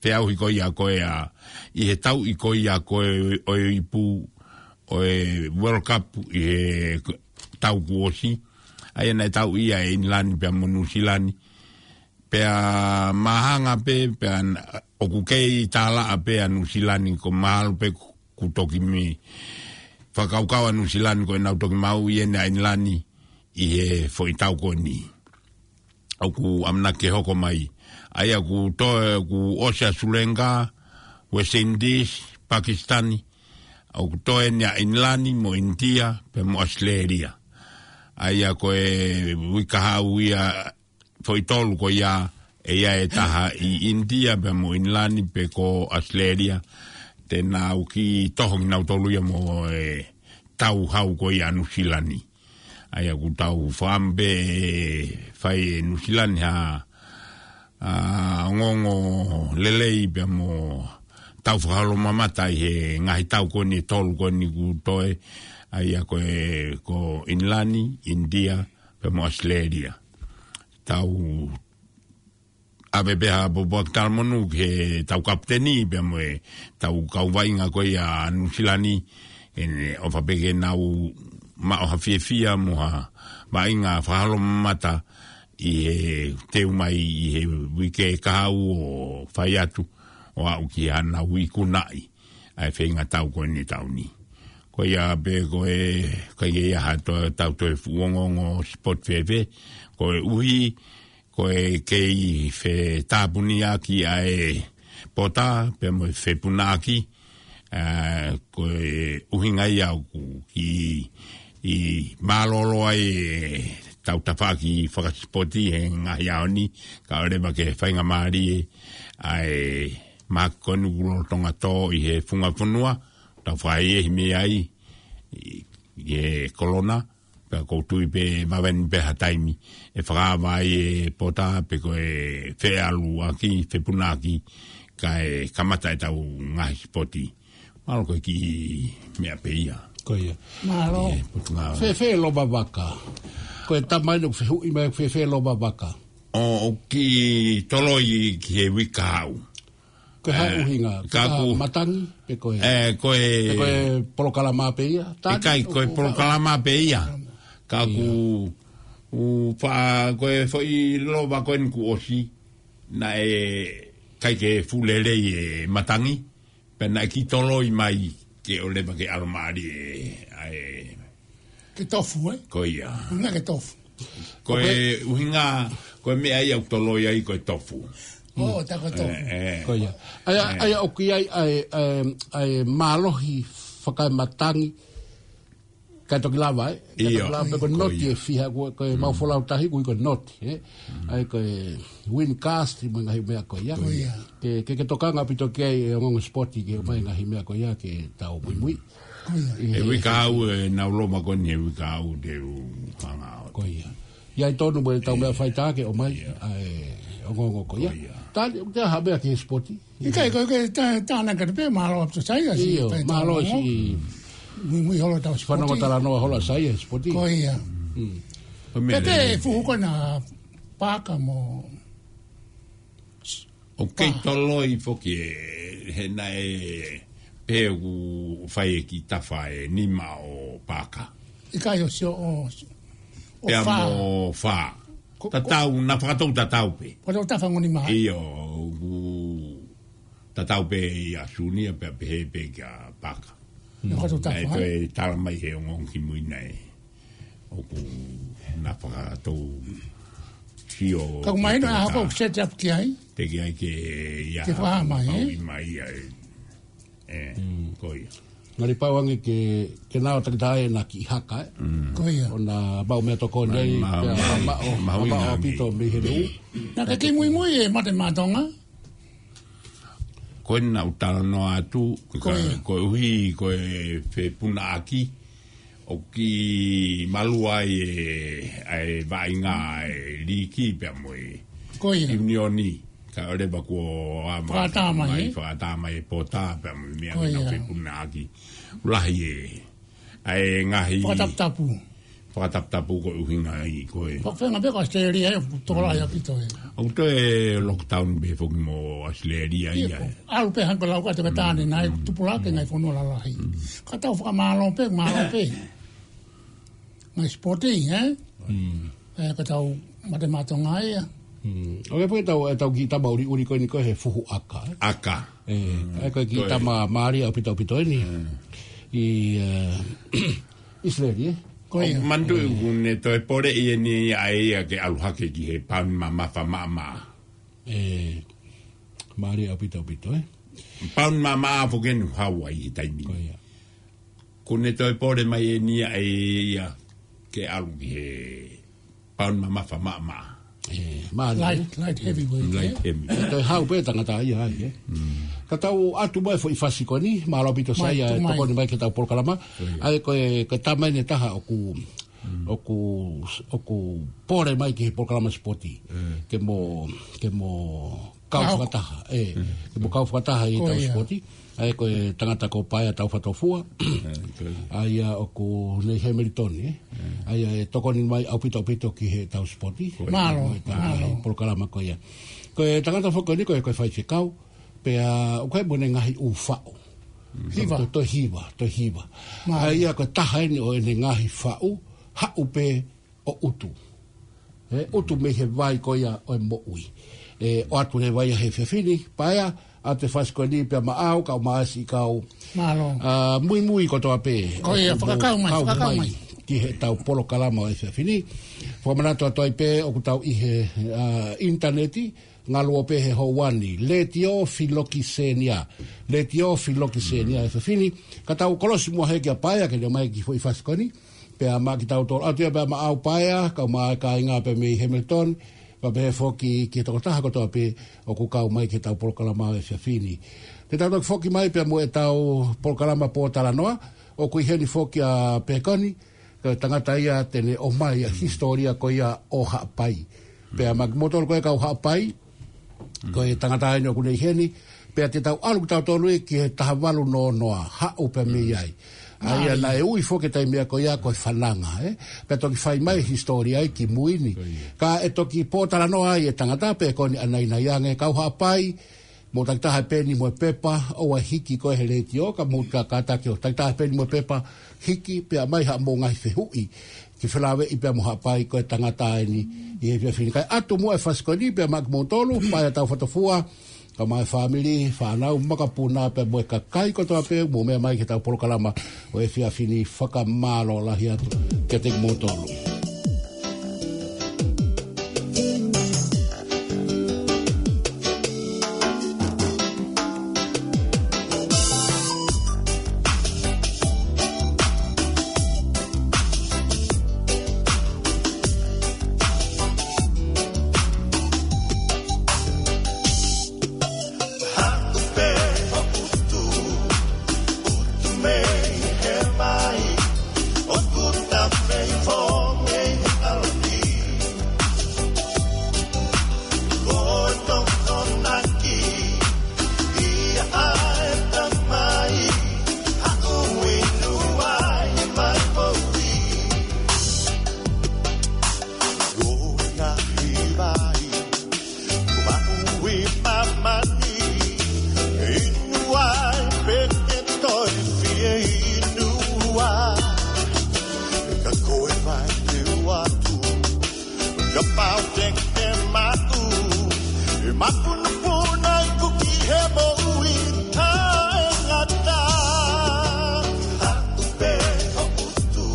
feʻauhi ko ia ko e ʻa, ʻi he tauʻi ko ia ko e ʻo e ipu ʻo e World Cup ʻi he tau kuo ʻosi. ʻA ia naʻe tauʻi ia ʻe ʻInilani pea mo Nuʻusila ni. Pea māhanga pē, pea n-, ʻoku kei tālaʻa pē ʻa Nuʻusila ni ko mahalo pē ku toki mei fakakaukau ʻa Nuʻusila ni ko ʻenau toki maʻu ʻeni ʻa ʻInilani ʻi he foʻi tau ko eni ʻoku ʻamanaki ke hoko mai. ʻA ia kuo toe, kuo ʻosi ʻa Sulenga, West Indies, Pakisitani, ʻoku toe ʻeni ʻa ʻInilani mo ʻInitia, pea mo ʻAositelēlia. ʻA ia ko e uike kahaʻu ia, foʻi tolu ko ia, ʻe ʻi ai e taha ʻi ʻInitia, pea mo ʻInilani, pe ko ʻAositelēlia. Te nau kiʻi toho kinautolu ia mo e tau hau ko ia ʻa Nuʻusila ni. ʻA ia ʻoku tau fakaʻamu pē ʻe fai ʻe Nuʻusila ni ha, ʻa, ongoongo lelei pea mo tau fakaholomamata ʻi he ngaahi tau ko eni ʻe tolu ko eni kuo toe, ʻa ia ko e, ko ʻInilani, ʻInitia, pea mo ʻAositelēlia. Tau ʻave pē ha pōpoaki talamonū ki heʻetau kapiteni, pea mo ʻetau kau vaʻinga ko ia ʻa Nuʻusila ni, ʻEne ʻofa pē ke nau maʻu ha fiefia mo ha vaʻinga fakaholomata ʻi he teu mai ʻi he uike kahaʻu ʻo fai atu ʻo aʻu ki haʻanau ikunaʻi ʻa e feinga tau ko eni ʻa e taʻu ni. Ko ia pē ko e, ʻikai ke ʻi ai ha toe, tau toe fuʻu ongoongo sipoti fēfē, koeʻuhi ko e kei fetāpuniaki ʻa e pota, pea mo e fepunaʻaki, ʻa, ko e ʻuhinga ia ʻoku kiʻi mālōlō ai ʻetau tafaʻaki fakasipoti he ngaahi ʻaho ni, kae ʻoua leva ke faingamālie ʻa e mahaki ko eni ʻoku lolotonga tō ʻi he funga fonua, tau fakaʻehiʻehi mei ai, ʻi, ʻi he kolona, pea ʻoku ou tui pē ʻe vave ni pē ha taimi ʻe fakaava ai e pota pe ko e feʻaluʻaki, fepunaʻaki, kae kamata ʻetau ngaahi sipoti. Mālō ko e kiʻi meʻa pē ia. Ko ia. Mālō. ʻI he Potungāue. Fēfē loma vaka? Ko e tama eni ʻoku fehuʻi mai fēfē loma vaka. ʻO, ʻoku kiʻi toloi ki he uike kahaʻu. Ko e hā e ʻuhinga? Ka ko e matangi, pe ko e, ʻe, ko e, pe ko e polokalama pē ia? Tani, ʻikai, ko e ʻoku polokalama pē ia. Ka ʻoku, ʻoku fa-, ko e foʻi loma ko eni kuo ʻosi, naʻe ʻikai ke fuʻu lelei e matangi, pea naʻe kiʻi toloi mai ke ʻoua leva ke ʻalomālie ʻa e Ke tofu, ē? Ko ia. ʻUhinga ke tofu. Ko e ʻuhinga, ko e meʻa ia ʻoku toloi ai ko e tofu. ʻO, tā ko e tofu. ʻE, ʻe. Ko ia. ʻA ia, ʻa ia ʻoku ʻi ai ʻa e, ʻa e, ʻa e mālohi fakaematangi, kae toki lava, ē? Kae toki lava, pe ko e noti ʻe fiha, ko e, ko e mau folau tahi, ko e noti, ē? ʻA ia ko e wind cast, mo e ngaahi meʻa ko ia. Ko ia. Ke, ke, ke tokanga ʻaupito ki ai e ongoongo sipoti ke ʻomai ngaahi meʻa ko ia ke tau muimui. Ko ia. ʻI he uike kahaʻu ʻenau loma ko eni he uike kahaʻu te u hanga ʻo. Ko ia. ʻI ai tonu mo e tau meʻa faitā ke ʻomai, ʻa e ongoongo ko ia. Ko ia. Tali, ʻoku ʻi ai ha meʻa ki he sipoti? ʻIkai, ko e ke tā, tā na ka te pē, mālō ʻaupito Saia, si, ʻio, mālō si. Muimui holo tau sipoti. Fanongo talanoa holo Saia, sipoti. Ko ia. Ko e meʻa pē, fuhu ko ena Paka mo ʻOku kei toloi foki ē, he naʻe pehē ʻoku fai e kiʻi tafa ʻe nima ʻo Paka. ʻIkai ʻo sio ʻo, ʻo pea fā. Mo fā. Ko, ko tatau, naʻa fakatou tatau pē. Ko tau tafa ngoni maha. ʻIo, ʻoku tatau pē ʻia Sunia pea pehē pē kia Paka. Ko tau tafa. Naʻe toe tala mai he ongoongo kimui naʻe ʻoku naʻa fakatou sio. Ka ʻoku mahino ʻa e hako ʻoku set up ki ai. Te ki ai ke ia. Ke fakahā mai, ē? Pau i mai ai. ʻE, ko ia. Ngali pau ange ke, ke nau takitaha ʻena kiʻi haka, ē? Ko ia. ʻO na mau meʻatokoni ai, pea mahuʻinga ʻaupito mei he nuʻu. Naʻa ke kimuimui ē Mate Matonga. Ko ena ʻoku talanoa atu, ko ia. Koeʻuhi, ko e fepunaʻaki, ʻoku kiʻi malua ai e, ʻa e vaʻinga ʻa e liiki pea mo e ʻiunioni. Kae ʻoua leva kuo ʻa mai, fakatamai e pota pea mo e meʻa ʻoku nau fepunaʻaki. Lahi e, ʻa e ngaahi fakataputapu. Fakataputapu ko e ʻuhinga ʻi ko e. Fakafenga pē ko ʻAositelēlia ʻoku tokolahi ʻaupito ē. ʻOku toe lockdown pē foki mo ʻAositelēlia ia. ʻAlu pē hangē ko e lau ʻa e toketā ni naʻe tupulaki ngaahi fonua lalahi. Ka tau fakamālō pē, mālō pē. Ngaahi sipoti, ē? ʻE, ka tau Mate Matonga ia. ʻOku ʻi ai pē ʻetau, ʻetau kiʻi tama ʻuliʻuli ko eni ko e he fuhu ʻaka, ē? ʻAka. ʻE, ʻa ia ko e kiʻi tama mālie ʻaupito ʻaupito eni. ʻI, ʻIsileli, ē? Ko ia. ʻOku manatuʻi ʻoku ne toe poleʻi eni ʻa ia ke ʻalu hake ki he pauni mamafa maʻamaʻa. ʻE, mālie ʻaupito ʻaupito, ē? Pauni mamaʻa foki eni ʻoku hau ai he taimi ni. Ko ia. ʻOku ne toe pole mai eni ʻa ia ke ʻalu ki he pauni mamafa maʻamaʻa. ʻE, mālie. Light, light heavyweight, ē? Light heavy. ʻE toe hau pē tangata ia ai, ē? Ka tau ʻatu mai foʻi fasi ko eni, mālō ʻaupito Saia, tokoni mai ki heʻetau polokalama. ʻA ia ko e, ko e tama eni ʻe taha ʻoku, ʻoku, ʻoku pole mai ki he polokalama sipoti. Ke mo, ke mo kau fakataha, ʻe, ke mo kau fakataha ʻi heʻetau sipoti. ʻA ia ko e tangata ko Paea Taufatofua. ʻA ia ʻoku nei Hamilton, ē? ʻA ia ʻe tokoni mai ʻaupito ʻaupito ki heʻetau sipoti. Mālō, mālō. Polokalama ko ia. Ko e tangata foki ko eni ko e, ko e faifekau. Pea ʻoku ʻi ai mo ʻene ngaahi ʻū faʻu. Hiva. Toe, toe hiva, toe hiva. Mālie. ʻA ia ko e taha eni ʻo ʻene ngaahi faʻu, Haʻu Pē ʻo ʻUtu. ʻE, ʻutu mei he vai ko ia ʻo e moʻui. ʻE, ʻoatu leva ia he efiafi ni, Paea, ʻa e fasi ko eni pea maʻau, kau maʻasi kau. Mālō. ʻA, muimui kotoa pē. Ko ia, ʻoku mou fakakau mai, kau fakakau mai, mai ki heʻetau polokalama ʻo e efiafi ni. Fakamanatu atu ai pē, ʻoku tau ʻi he, ʻa, ʻinitaneti, ngaluope he houa ni, Letiō Filokisenia. Letiō Filokisenia he efiafi ni. Ka tau kolosi muʻa heni kia Paea ke ne ʻomai e kiʻi foʻi fasi ko eni. Pea maʻa kitautolu atu ia pea maʻau Paea, kau mai kāinga pē mei Hamilton, pea pehē foki ki he tokotaha kotoa pē ʻoku kau mai ki heʻetau polokalama ʻo e efiafi ni. Te tau toki foki mai pea mo ʻetau polokalama pōtalanoa, ʻoku ʻi heni foki ʻa Pekoni, ko e tangata ia te ne ʻomai ʻa e hisitōlia ko ia ʻo Haʻapai. Pea maʻa kimoutolu ko e kau Haʻapai, ko e tangata eni ʻoku ne ʻi heni, pea te tau ʻalu kitautolu ia ki he taha valu noa noa, Haʻu Pē Mei Ai. ʻA ia naʻe ui foki e taimi ko ia ko e Fananga, ē? Pea toki fai mai e hisitōlia ia ki mui ni. Ko ia. Ka ʻe toki pōtalanoa ai e tangata Pekoni ʻanainai ange, kau Haʻapai, mou takitaha pē ni mo e pepa, ʻoua ʻe hiki koe he letiō, ka mou ka, kātaki ʻo takitaha pē ni mo e pepa, hiki, pea ʻomai haʻamou ngaahi fehuʻi ke felāveʻi pea mo Haʻapai, ko e tangata eni ʻi he efiafi ni. Kae ʻatu muʻa e fasi ko eni pea maʻa kimoutolu, Paea Taufatofua, kau mai e fāmili, fānau, makapuna, pea mo e kakai kotoa pē ʻoku mou meʻa mai ki heʻetau polokalama ʻo e efiafi ni, fakamālō lahi atu kiate kimoutolu. Kapau te ke maʻu, ʻe mapunopuna ʻi kuki he moʻui taʻengata. Haʻu pē ʻo ʻutu,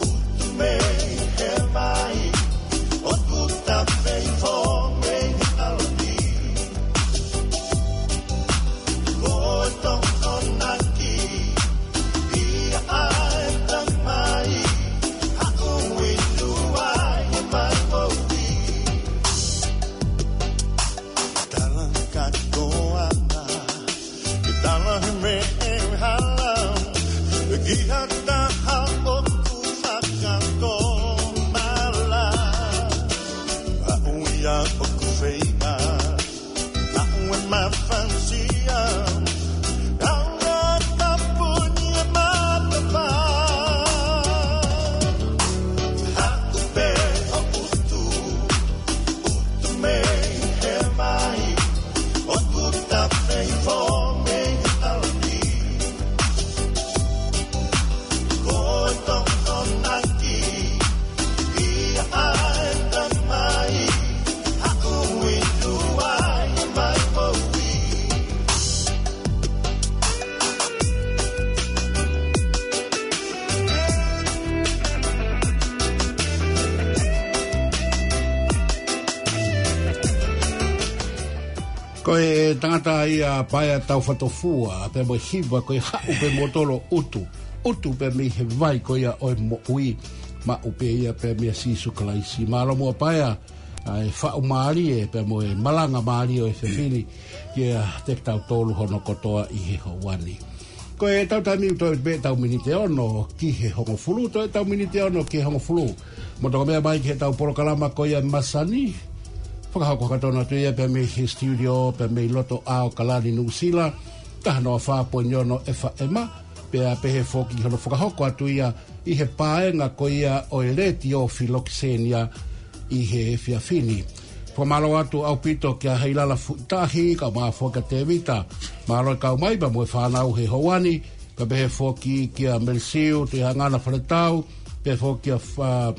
ʻutu mei he vai, ʻo tuta mei fō mei he ʻaho ni. Ko e tangata ia Paea Taufatofua, pea mo e hiva ko e Haʻu pē moutolu ʻo ʻutu. ʻUtu pē mei he vai ko ia ʻo e moʻui, maʻu pē ia pē meia Sīsū Kalaisi. Mālō muʻa Paea, ʻa e faʻu mālie, pea mo e malanga mālie ʻo e efiafi ni, kiate kitautolu hono kotoa ʻi he houa ni. Ko e tau taimi ʻoku toe pē tau miniti ʻe ono ki he hongofulu, toe tau miniti ʻe ono ki he hongofulu. Mou toki meʻa mai ki heʻetau polokalama ko ia e masani. Fakahoko hake tonu atu ia pē mei he studio, pē mei loto ʻAokalani Nuʻusila, taha noa fā poini ono FM, pea pehē foki hono fakahoko atu ia ʻi he paenga ko ia ʻo e Letiō Filokisenia ʻi he efiafi ni. Fakamālō atu ʻaupito kia Heilala Fuʻitahi, kae ʻumaʻā foki kia Tēvita. Mālō e kau mai pea mo e fānau he houa ni, kae pehē foki kia Melisiu Tuʻihangana Faletau, pehē foki kia Fa-,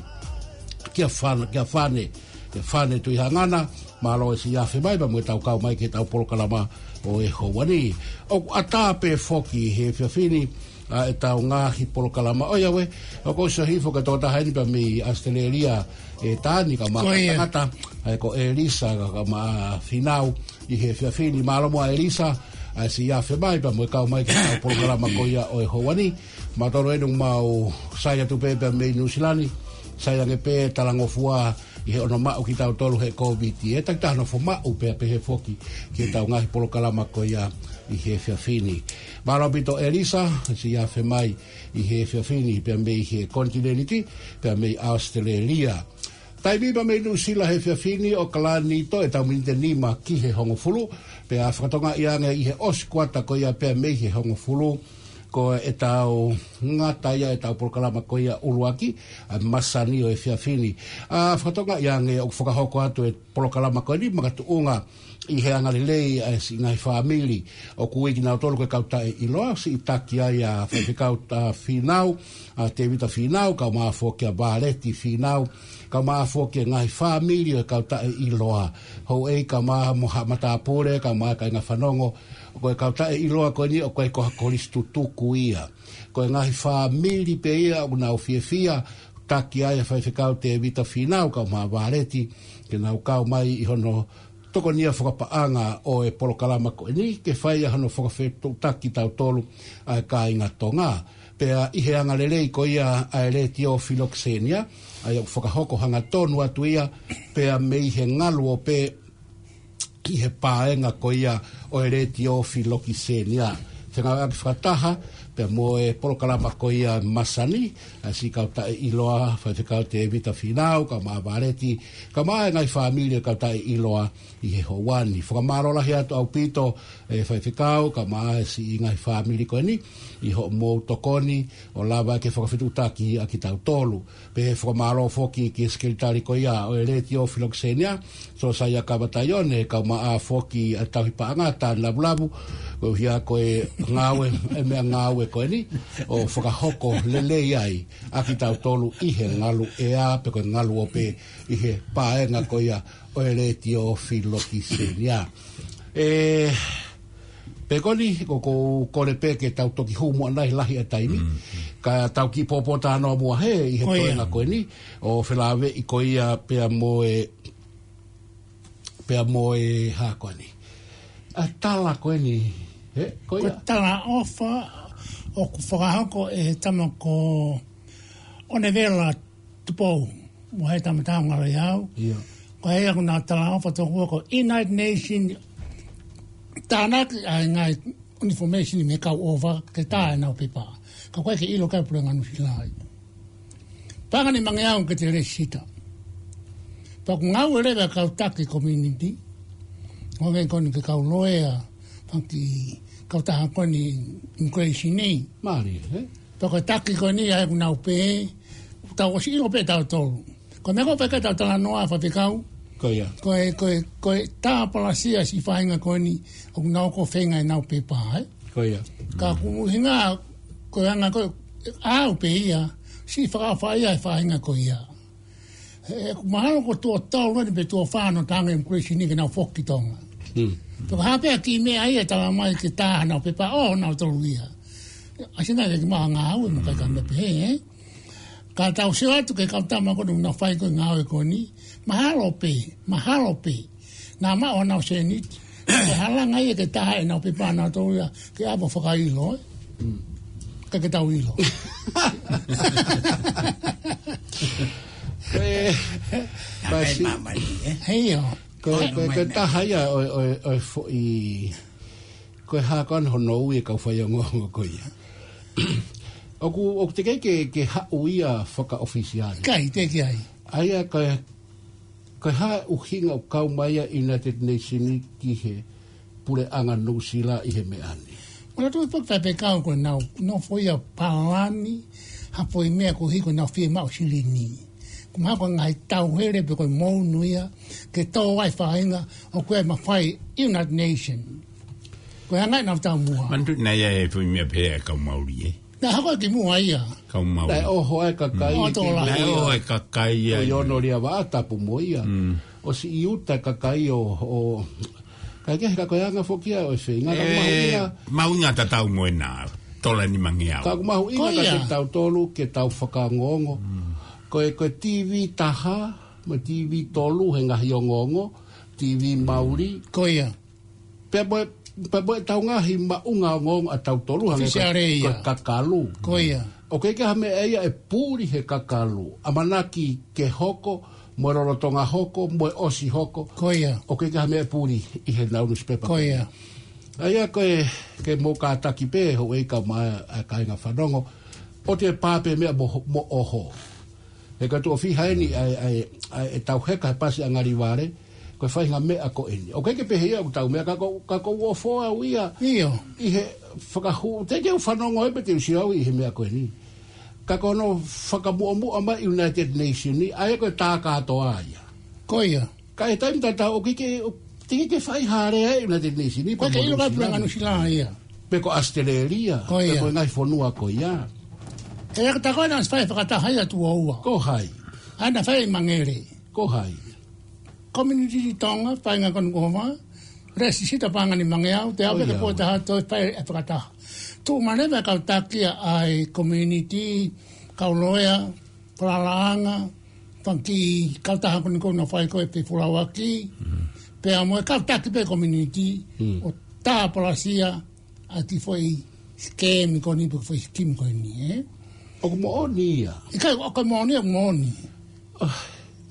kia Fana, kia Fane, kia Fane Tuʻihangana, mālō e siʻi afe mai pea mo ʻetau kau mai ki heʻetau polokalama ʻo e houa ni. ʻOku ʻatā pē foki he efiafi ni, ʻa ʻetau ngaahi polokalama. ʻOiauē, ʻoku ou sio hifo ki he tokotaha ʻeni pea mei ʻAositelēlia, ʻe Tani, kae ʻumaʻā e kau tangata, ʻa ia ko ʻElisa, kae ʻumaʻā Fīnau ʻi he efiafi ni. Mālō muʻa ʻElisa, ʻa e siʻi afe mai pea mo e kau mai ki heʻetau polokalama ko ia ʻo e houa ni. Mautolu ʻeni ʻoku mau sai atu pē pea mei Nuʻusila ni, sai ange pē talangofua ʻi he ʻonomaʻu kitautolu he Kōviti. ʻE takitaha nofo maʻu pea pehē foki ki heʻetau ngaahi polokalama ko ia ʻi he efiafi ni. Mālō ʻaupito ʻElisa, siʻi afe mai ʻi he efiafi ni pea mei he konitinēniti, pea mei ʻAositelēlia. Taimi pea mei Nuʻusila he efiafi ni, ʻOkalani, toe ʻetau miniti ʻe nima ki he hongofulu, pea fakatokangaʻi ange ʻi he ʻosi kuata ko ia pea mei he hongofulu, ko ʻetau ngata ia ʻetau polokalama ko ia ʻuluaki, ʻa e masani ʻo e efiafi ni. ʻA, fakatokangaʻi ange ʻoku fakahoko atu e polokalama ko eni makatuʻunga ʻi he angalelei ʻa e siʻi ngaahi fāmili ʻoku ui kinautolu ko e kau taʻeʻiloa, siʻi taki ai ʻa Faifekau, ʻa, Fīnau, ʻa Tēvita Fīnau, kae ʻumaʻā foki kia Vāleti Fīnau, kae ʻumaʻā foki e ngaahi fāmili ʻo e kau taʻeʻiloa. Houʻeiki kae ʻumaʻā mo ha matāpule, kae ʻumaʻā kāinga fanongo, ko e kau taʻeʻiloa ko eni ʻoku ʻikai ko ha kolisi tutuku ia. Ko e ngaahi fāmili pē ia ʻoku nau fiefia, taki ai ʻa Faifekau Tēvita Fīnau kae ʻumaʻā Vāleti, ke nau kau mai ʻi hono tokonia fakapaʻanga ʻo e polokalama ko eni, ke fai ʻa hono fakafetuʻutaki kitautolu ʻa e kāinga Tonga. Pea ʻi he angalelei ko ia ʻa e Letiō Filokisenia, ʻa ia ʻoku fakahoko hangatonu atu ia, pea mei he ngaluope ʻi he paenga ko ia ʻo e Letiō Filokisenia. Fengāueʻaki fakataha pea mo e polokalama ko ia masani, ʻa e siʻi kau taʻeʻiloa, Faifekau Tēvita Fīnau, kae ʻumaʻā Vāleti, kae ʻumaʻā e ngaahi fāmili ʻo e kau taʻeʻiloa ʻi he houa ni. Fakamālō lahi atu ʻaupito, ʻe Faifekau, kae ʻumaʻā e siʻi ngaahi fāmili ko eni, ʻi hoʻomou tokoni ʻo lava ke fakafetuʻutaki ʻa kitautolu. Pea fakamālō foki ki he sekelitali ko ia ʻo e Letiō Filokisenia, Sōsaia Kavataione, kae ʻumaʻā foki ʻa e tauhi paʻanga, Tani Lavulavu, koeʻuhi ko e ngāue, e meʻangāue ko eni, ʻo fakahoko lelei ai ʻa kitautolu ʻi he ngaluʻea, pe ko e ngaluope ʻi he paenga ko ia ʻo e Letiō Filokisenia. ʻE, pea ko eni, ko, ko, kole pē ke tau toki hū muʻa nai lahi ʻa e taimi. Mm. Ka tau kiʻi pōpōtalanoa muʻa hē ʻi he toenga ko eni, ʻo felāveʻi ko ia pea mo e, pea mo e hā ko eni. ʻA e tala ko eni, hē, ko ia. Ko e talaʻofa ʻoku fakahoko ʻe he tama ko ʻOnevela Tupou, mo e tama taha ngalo i au. ʻIo. Ko ia ʻoku nau talaʻofa tokua ko e United Nations tānaki ʻa e ngaahi information mei he kau ʻofa ke tā ʻenau pepa. Ka ʻoku ʻikai ke ʻilo ʻe he puleʻanga Nuʻusila ia. Pea ʻange mai ange au ke te lēsisita. Pea ʻoku ngāue leva e kau taki community. ʻO hangē ko eni ko e kau loea, fanga kiʻi kautaha ko eni immigration ni. Mālie, ē? Pea ko e taki ko eni ʻa ē ʻoku nau pē, ʻoku tau ʻosi ʻilo pē ʻe tautolu. Ko e meʻa ko ē ʻoku ʻikai ke tau talanoa, Faifekau. Ko ia. Ko e, ko e, ko e tāpalasia siʻi faʻahinga ko eni, ʻoku nau hoko ʻo feinga ʻenau pepa, ē? Ko ia. Ka ʻoku ʻuhinga, ko e anga ko ē, ʻa au pē ia, siʻi fakaʻofa ia ʻa e faʻahinga ko ia. He, he ʻoku mahalo ko e tuʻo tolu eni pe tuʻo fā hono tā ange e immigration ni ke nau foki ki Tonga. Mm. Pea ko e hā pē ha kiʻi meʻa ia ʻe talamai ke tā honau pepa ʻo nautolu ia. ʻAsi nai ke kimaʻa ngāue mo e kakai meʻa pehē, ē? Ka tau sio atu ki he kau tama ko eni ʻoku nau fai ko ē e ngāue ko eni. Mahalo pē, mahalo pē. Naʻa maʻu honau sēniti. Ke halanga ia ke tā ʻenau pepa ʻanautolu ia, ke ʻave ʻo fakaʻilo, ē? Mm. ʻIkai ke tau ʻilo. Ko e, Naʻe pasi. Māmani, ē? Heio. Ko e, ko e, ko e taha ia ʻo e, ʻo e, ʻo e foʻi, ko e hā ko ē hono ui e kau faiongoongo ko ia. ʻOku, ʻoku teʻeki ke, ke haʻu ia fakaʻofisiale. ʻIkai, teʻeki ai. ʻA ia ko e, ko e hā e ʻuhinga ʻoku kau mai ai e United Nations ki he puleʻanga Nuʻusila ʻi he meʻa ni. Ko e tui pē Faifekau ko ʻenau, nofo ia palani, ha foʻi meʻa koeʻuhi ko ʻenau fiemaʻu silini. Ko e mahalo ko e ngaahi tauhele pe ko e mounu ia, ke tō ai faʻahinga ʻoku ʻi ai e mafai United Nation. Ko e anga ʻenau taumuʻa. Manatuʻi naʻe ʻi ai e foʻi meʻa pehē ʻa e kau Mauli, ē? Naʻe hoko ki muʻa ia. Kau Mauli. Naʻe ʻoho ai e kakai. Mm. ʻOto la. Naʻe ʻoho e kakai ai. ʻO Iono Liavaʻa tapu mo ia. Mm. ʻOsi ʻi ʻuta e kakai ʻo, ʻo, kae kehe ka ko e anga foki ia ʻo e feinga. Ka ʻoku mahuʻinga. Mahuʻinga tatau mo ena, tola nimangeau. Ka ʻoku mahuʻinga ka Ko ia. ke tau tolu, ke tau fakaongoongo. Mm. Ko e, ko e T V taha, mo e T V tolu he ngaahi ongoongo, T V Mauli. Ko ia. Pea mo e, pea mo e tau ngaahi maʻunga ongoongo ʻa tautolu hangē ko e, Ofisiale ia. ko e kakalu. Ko ia. ʻOku ʻikai ke ha meʻa ia ʻe puli he kakalu. ʻAmanaki ke hoko, mo e lolotonga hoko, mo e ʻosi hoko. Ko ia. ʻOku ʻikai ke ha meʻa ʻe puli ʻi heʻenau nusipepa. Ko ia. ʻA ia ko e, ke mou kātaki pē, houʻeiki kae ʻumaʻā e kāinga fanongo. ʻOua te pā pē meʻa mo, mo ʻoho. He ka tuʻo fiha eni ʻa e, ʻa e, ʻa e tau heka he pasi ʻa Ngalivale, ko e faʻahinga meʻa ko eni. ʻOku ʻikai ke pehē ia ʻoku tau meʻa ka ko, ka ko ʻoku ou ʻofa au ia. ʻIo. ʻI he fakahū, teʻeki ke u fanongo ai pe te u sio au ʻi he meʻa ko eni. Ka ko hono fakamuʻomuʻa mai United Nation ni, ʻa ia ko e tā kātoa ia. Ko ia. Ka ʻi he taimi tatau ʻoku ʻikai ke, teʻeki ke fai ha lea ʻa e United Nation ni, Ko e pea mo ke ʻilo ka Nuʻusila. pule Nuʻusila ia. Pe ko ʻAositelēlia, Ko pe ia. ko e ngaahi fonua ko ia. E aka tako na fai fakataha ia tuʻo ua. Ko hai? ʻA ia naʻe fai ʻi Mangere. Ko hai? Community Tonga, fai ngā kanu kova, Lēsisita Paʻanga ni Mangeau, te Ko au ia. peke pō taha toe fai e fakataha. Tuʻu manema e kau taki ʻa e community, kau loea, Falalaʻanga, fanga kiʻi kautaha ko eni ʻoku nau fai ko e fefulauaki, Mm. pea mo e kau taki pē community, Mm. ʻo tāpalasia ʻa e kiʻi foʻi scheme ko eni pe foʻi scheme ko eni, ē? ʻOku moʻoni ia. ʻIkai, ʻoku moʻoni, ʻoku moʻoni. Ah.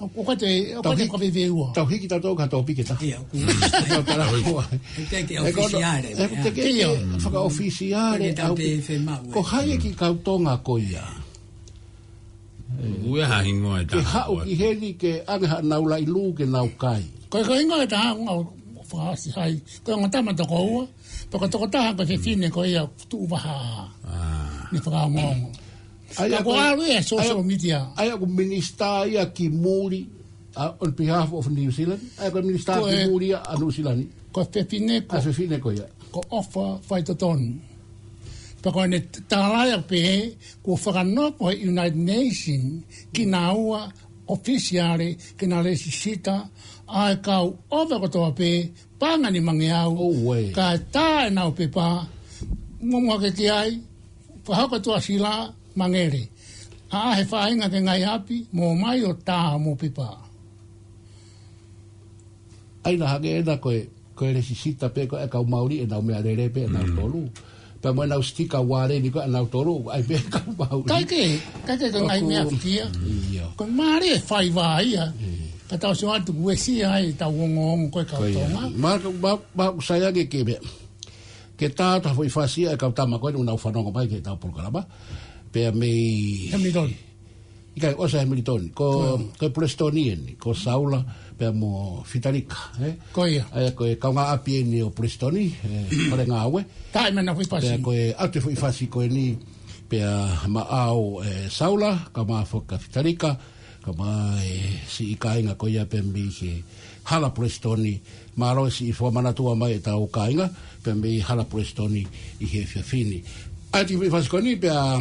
ʻOku, ʻoku ʻikai te, ʻoku ʻikai te Tauhi-, ka veveua. tauhi ki tatou ka topiki ta. ʻIo, ʻoku Tau tala kua. ʻOku ʻikai ke ʻOku ʻikai ke ʻofisiale, ʻoku ʻikai ke ʻIo. fakaʻofisiale, ʻOku ʻikai te au ʻoku te femaʻu, ko ē. hai e kiʻi kau Tonga ko ia. Ue ha hingoa e Ke taha haʻu ko ē. ki heni ke ʻange haʻanau laʻi lū ke nau kai. Ko e, ko e hingoa e taha ʻoku ou fakahasi hai. Ko e ongo tama toko ua, pe ko e toko taha ko e fefine ko ia tuʻu vaha. Ah. Ne fakaongoongo. ʻA ia Ka ko ko e, ʻalu ia ʻa ia, social media. ʻa ia ko e minisitā ia ki muli, uh, on behalf of New Zealand. ʻA ia ko e minisitā Ko ki e, muli ia ʻa Nuʻusila ni. ko e fefine ko ʻA e fefine ko ia. ko ʻOfa Faitotonu. Pea ko ʻene tālai ʻo pehē, kuo fakanofo he United Nation kinaua ʻofisiale ke na lēsisita ʻa e kau ʻOfa kotoa pē, Paʻanga ni Mangeau, Auē. kae tā ʻenau pepa, muʻomuʻa ke ki ai, fakahoko Tuʻasila, Mangere. ʻAʻahi e faʻahinga ki he ngaahi ʻapi, mo mai ʻo tā homou pepa. ʻA ia naʻe hangē ena ko e, ko e lēsisita pē ko e kau Mauli ʻenau meʻalele pē ʻenau Mm. tolu. Pea mo ʻenau sitika uale ni ko ʻenau tolu, ʻai pē kau Mauli. Kae kehe, kae kehe ko e ngaahi ʻOku meʻa foki ia. ʻIo. Ko e mālie e faiva ia. Mm. Ka tau sio atu kuo ʻosi ai ʻetau ongoongo ko e kau Ko ia. Tonga. Ma, ma, ma, ʻoku sai ange ke meʻa. Ke tā atu ha foʻi fasi ʻa e kau tama ko eni ʻoku nau fanongo mai ki heʻetau polokalama. Pea mei Hamilton. ʻIkai, ʻosi ʻa Hamilton. Ko, Ko. ko e Pulesitoni eni, ko Saula, pea mo Fitalika, ē? Ko ia. ʻA ia ko e kaungāʻapi eni ʻo Pulesitoni, ē, Fale Ngāue. Taʻe mena foʻi fasi. Pea ko e ʻatu e foʻi fasi ko eni, pea maʻau, ē, Saula, kae ʻumaʻā foki ʻa Fitalika, kae ʻumaʻā e siʻi kāinga ko ia pea mei he hala Pulesitoni, mālō e siʻi fakamanatua mai ʻetau kāinga, pea mei hala Pulesitoni ʻi he efiafi ni. ʻA ia ko e foʻi fasi ko eni, pea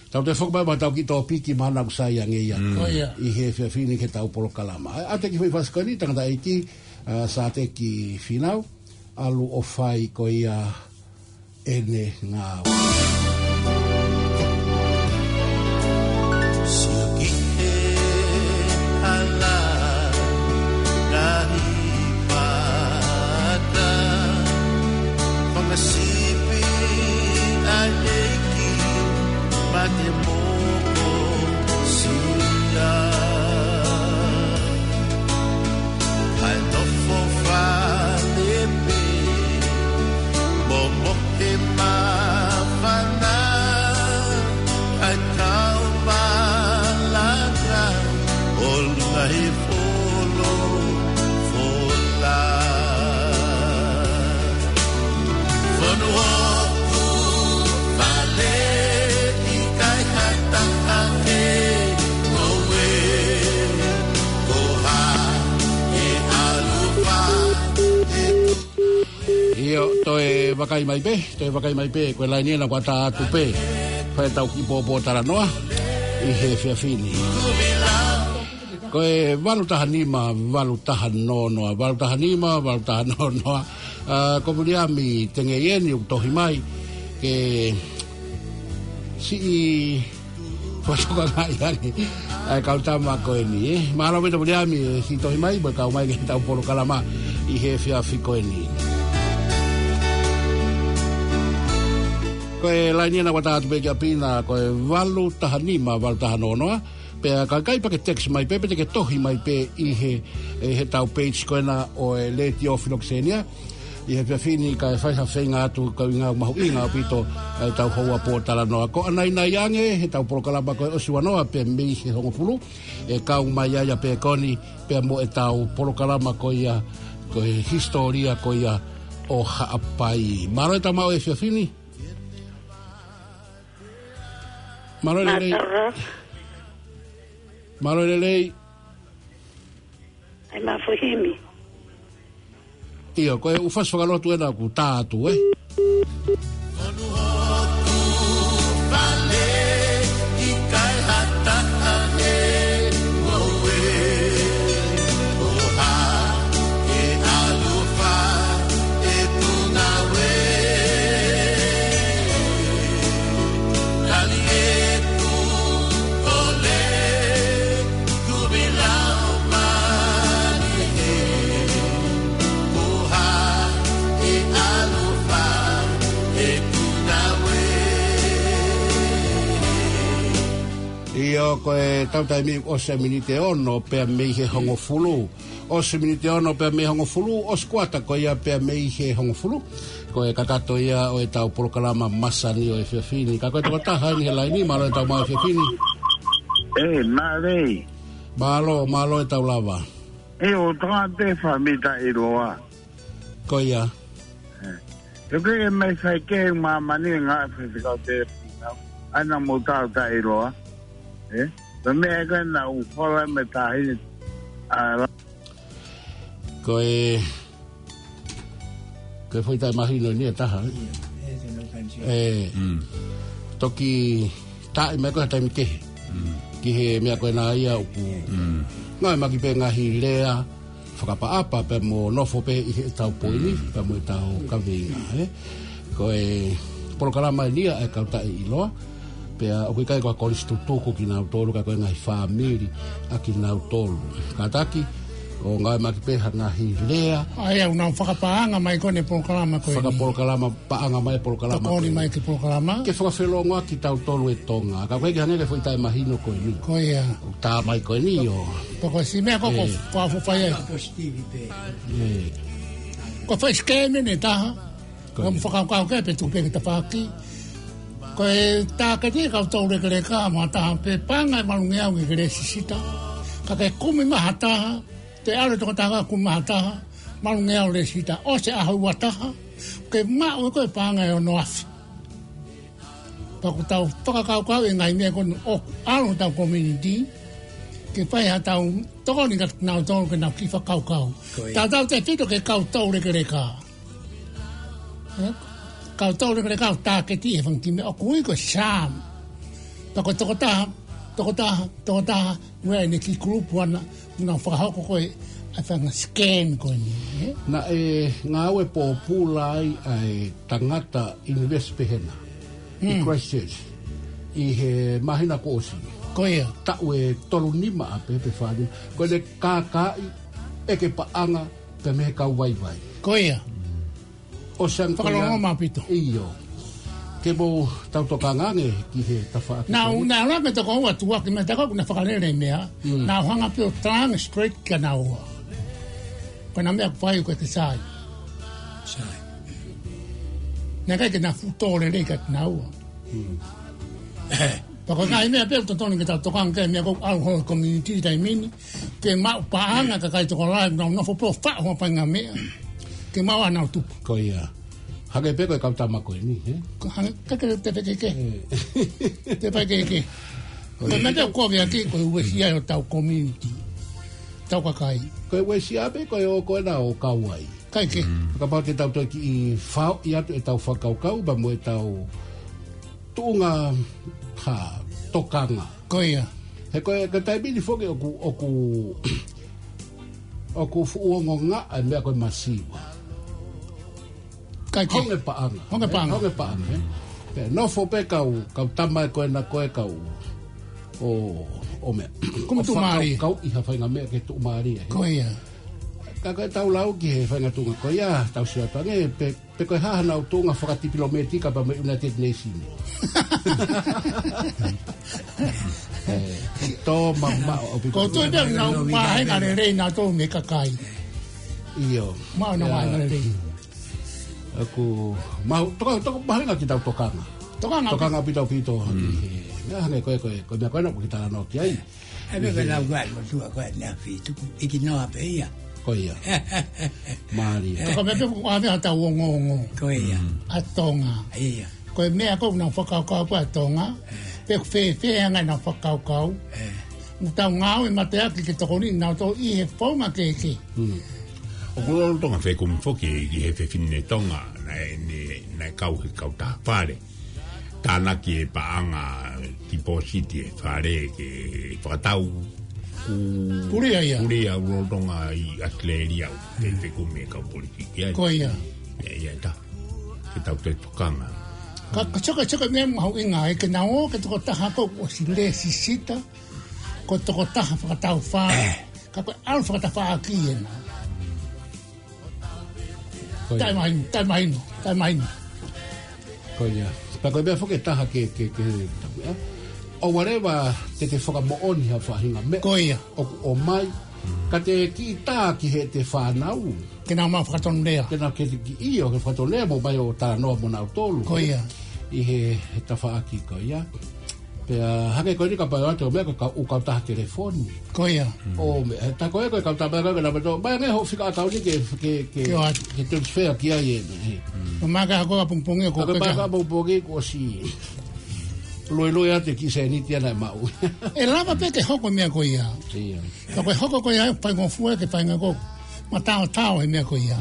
tau toe foki mai mo ʻetau kiʻi topiki mahalo ʻoku sai ange ia. Mm. Ko ia. ʻI he efiafi ni ki heʻetau polokalama. ʻA ia ko e kiʻi foʻi fasi ko eni, tangataʻeiki, ā, Sāteki Fīnau, ʻalu ʻo fai ko ia ʻene ngāue. Sio ki he hala ngaahi mata, fanga sipi ʻa e ʻEiki, mate moko sila. ʻA e nofo fale pē, momohe māfana, ʻa e kau malanga, ʻolunga he folofola. Fonu hoku fale ʻikai ha taha he ngoue. Toe vakai mai pē, toe vakai mai pē, ko e laini ena kuo tā atu pē. Fai ʻetau kiʻi pōpōtalanoa ʻi he efiafi ni. Ko e valu taha nima, valu taha noa noa, valu taha nima, valu taha noa noa. ʻA, ko Viliami Tengeieni ʻoku tohi mai ke siʻi fakatokangaʻi ange ʻa e kau tama ko eni, ē. Mālō ʻaupito Viliami, ʻe siʻi tohi mai, mo e kau mai ki heʻetau polokalama ʻi he efiafi ko eni. Ko e laini ena kuo tā atu pē kia Pina, ko e valu taha nima, valu taha noa noa. Pea ka ʻikai pē ke text mai pē, pe te ke tohi mai pē ʻi he, ʻi heʻetau page ko ena ʻo e Letiō Filokisenia. ʻI he efiafi ni kae fai ha feinga atu, ka ʻuhinga mahuʻinga ʻaupito ʻetau houa pōtalanoa. Ko ʻanainai ange heʻetau polokalama ko e ʻosi ua noa pea mei he hongofulu, ʻe kau mai ai ʻa Pekoni, pea mo ʻetau polokalama ko ia, ko e hisitōlia ko ia ʻo Haʻapai. Mālō e tama ʻo e efiafi ni. Mālō e lelei. Mālō. Mālō e lelei. ʻAi ma fuhimi. ʻIo, ko e ʻū fasi fakalotu ena kuo tā atu, ē. ʻIo, ko e tau taimi ʻosi e miniti ʻe ono pea mei he hongofulu. ʻOsi miniti ʻe ono pea mei he hongofulu, ʻosi kuata ko ia pea mei he hongofulu. Ko e kakato ia ʻo ʻetau polokalama masani ʻo e efiafi ni. Ka ko e tokotaha eni he laini, mālō e tau maʻu efiafi ni. ʻE, mālō. Mālō, mālō e tau lava. ʻE, ʻo Tonga te fa mita i loa. Ko ia. ʻE. Te ke ke mai fai ke māmani ngā fai fai kau te pina. ʻAna mo tau ta i loa. ʻE. Te mea ka na u hola me tahi. ʻA, Ko e, ko e foʻi taʻemahino eni ʻe taha, ē? ʻE, toki taʻi mai ko e taimi kehe. Ki he meʻa ko ena ia ʻoku ngāueʻaki pē ngaahi lea fakaʻapaʻapa pea mo nofo pē ʻi heʻetau poini, pea mo ʻetau kaveinga, ē? Ko e polokalama eni ia ʻa e Kau Taʻeʻiloa, pea ʻoku ʻikai ko ha kolisi tutuku kinautolu, ka ko e ngaahi fāmili ʻa kinautolu. Kātaki, ʻo ngāueʻaki pē ha ngaahi lea. ʻA ia, ʻoku nau fakapaʻanga mai ko eni e polokalama ko eni. Fakapolokalama, paʻanga mai e polokalama ko eni. Tokoni mai ki he polokalama. Ke fakafelongoaki kitautolu e Tonga. Ka ko e ke hangē ko e foʻi taʻemahino ko eni. Ko ia. ʻOku tā mai ko eni ʻo. Pea ko e siʻi meʻa ko ē ko e, ē, fakaʻofoʻofa ia. ʻE. Ko e foʻi sikemi eni ʻe taha. Ko ia. Ko e fakakaukau ke pe tuku pē ki tafaʻaki. Ko e tāketi e kau toulekeleka mo ha taha pē paʻanga ʻe valungeau ke ke lēsisita. Ka ke kumi mai ha taha, te ʻalu e tokotaha kumi mai ha taha, valungeau lēsisita. ʻOsi e ʻaho ua taha, ke maʻu ʻe koe paʻanga ʻe ono afe. Pea ʻoku tau fakakaukau e ngaahi meʻa ko eni ʻoku ʻalu hotau community, ke fai haʻatau tokoni kia kinautolu ke nau kiʻi fakakaukau. Ko ia. Tautautefito ki he kau toulekeleka. Ē? Kau toulekeleka ʻoku tāketi e fanga kiʻi meʻa ʻoku ui ko e SAM. Pea ko e tokotaha, tokotaha, tokotaha, ʻoku ʻi ai ʻene kiʻi kulupu ʻana, ʻoku nau fakahoko ko ē ʻa e fanga scam ko eni, ē? Naʻe ngāue pōpula ai ʻa e tangata ʻunivēsiti pehē na ʻi Christchurch ʻi he māhina kuo ʻosi. Ko ia. Taʻu ʻe tolu nima ʻa pē pe fā nima. Ko ʻene kākaaʻi ʻeke paʻanga pē mei he kau vaivai. Ko ia. ʻO San Fakalongo Korea. Maʻu ʻaupito. ʻIo. Ke mou tau tokanga ange ki he tafaʻaki. Naʻa ku, naʻa ku lave toko ua tuʻa ki he meʻa tā ko ē ʻoku na fakalele meʻa. Naʻa ku hanga pē ʻo talanga straight kia naua. Ko ʻena meʻa ʻoku fai ko e ke sai. Sai. Naʻe ʻikai ke na fuʻu tō lelei kia naua. Pea ko e ngaahi meʻa pē ʻoku totonu ke tau tokanga ki he meʻa ko ē ʻoku ʻalu holo he community taimi ni. Ke maʻu paʻanga kakai tokolahi, nau nofo pē ʻo faʻo ha paʻanga meʻa. Ke maʻu ʻenau tupu. Ko ia. Hangē pē ko e kau tama ko eni, ē? Ko hangē, ka ke te peke ke. Te peke ke. Ko ia. Ko e meʻa te u kovi ʻaki, ko e uesia ʻo tau community. Tau kakai. Ko e uesia pē, ko e ō ko ena ʻo kau ai. Kae kehe. Kapau te tau toe kiʻi faoʻi atu ʻetau fakakaukau, pea mo ʻetau tuʻunga ha tokanga. Ko ia. He ko e, ko e taimi ni foki ʻoku, ʻoku, ʻoku fuʻu ongo ngaʻa e meʻa ko e masiva. Kae kehe. Honge paʻanga. Honge paʻanga. Honge paʻanga, ē. Pea nofo pē kau, kau tama ko ena ko e kau. ʻO, ʻo meʻa. Kumi tuʻumālie. Kau, kau ʻi ha faʻahinga meʻa ke tuʻumālie, ē. Ko ia. Ka ko e tau lau ki he faʻahinga tuʻunga ko ia, tau sio atu ange, pe, pe ko e hā hanau tuʻunga fakatipilōmētika pea mo e United Nations. Ē, tō mamaʻo ʻaupito. Ko e toe pea nau mahenga lelei nautolu mei he kakai. ʻIo. Maʻu nau mahenga lelei. ʻOku, mau, toka, toka mahenga ke tau tokanga. Tokanga. Tokanga ʻaupito ʻaupito. He, meʻa hangē ko e, ko e, ko e meʻa ko ena ʻoku ke talanoa ki ai. ʻE, meʻa ko e lau ko ē, mo tua ko ē, nea fitu, ʻiki noa pē ia. Ko ia. Mālie. Ka ko e meʻa pē ʻoku ʻave ha tau ongoongo. Ko ia. ʻA Tonga. Ia. Ko e meʻa ko ē ʻoku nau fakakaukau ko ē ʻa Tonga. Pe fēfē ʻa e anga ʻenau fakakaukau. ʻOku tau ngāue mateaki ke tokoniʻi nautolu ʻi he founga kehekehe. ʻOku lolotonga fekumi foki ki he fefine Tonga, naʻe, ne, naʻe kau he kautaha fale. Tānaki e paʻanga tipōsiti e fale ke fakatau ku-, Kulia ia. Kulia ʻoku lolotonga ʻi ʻAositelēlia ʻoku fekumi e kau politiki ai. Ko ia. Ia, ia ta. Ke tau toe tokanga. Ka, ka sio ko e, sio ko e meʻa mahuʻinga, ʻe ke nau ō ki he tokotaha ko ē ʻosi lēsisita, ko e tokotaha fakataufā. Ka ko e ʻalu fakatafaʻaki ena. Ko ia. Taʻemahino, taʻemahino, taʻemahino. Ko ia. Pea ko e meʻa foki ʻe taha ke, ke, ke, ʻa, ʻoua leva te te fakamoʻoni ha faʻahinga meʻa. Ko ia. ʻOku ʻomai. Ka te kiʻi tā ki heʻete fānau. Ke nau maʻu fakatonulea. Ke nau ke kiʻi ʻio, ke fakatonulea mo ʻomai ʻo talanoa mo nautolu. Ko ia. ʻI he, he tafaʻaki ko ia. Pea hangē ko eni kapau ʻe ʻoatu e meʻa ko e kau, ʻū kautaha telefoni. Ko ia. ʻO meʻa, he tā ko ē ko e kautaha meʻa ko ē ke nau meʻa tō, mai ange hoʻo fika ʻakauni ke, ke, ke, Ke ʻoatu. Ke transfer ki ai ē, ē. Ko e meʻa ka hako ka pongipongi ko Ka ko e peka. Meʻa ka pongipongi kuo ʻosi. Luelue atu e kiʻi sēniti ia naʻe maʻu. ʻE lava pē ke hoko e meʻa ko ia. Ia. Ka ko e hoko ko ia, faingofua ke faingofua. Mataotao he meʻa ko ia.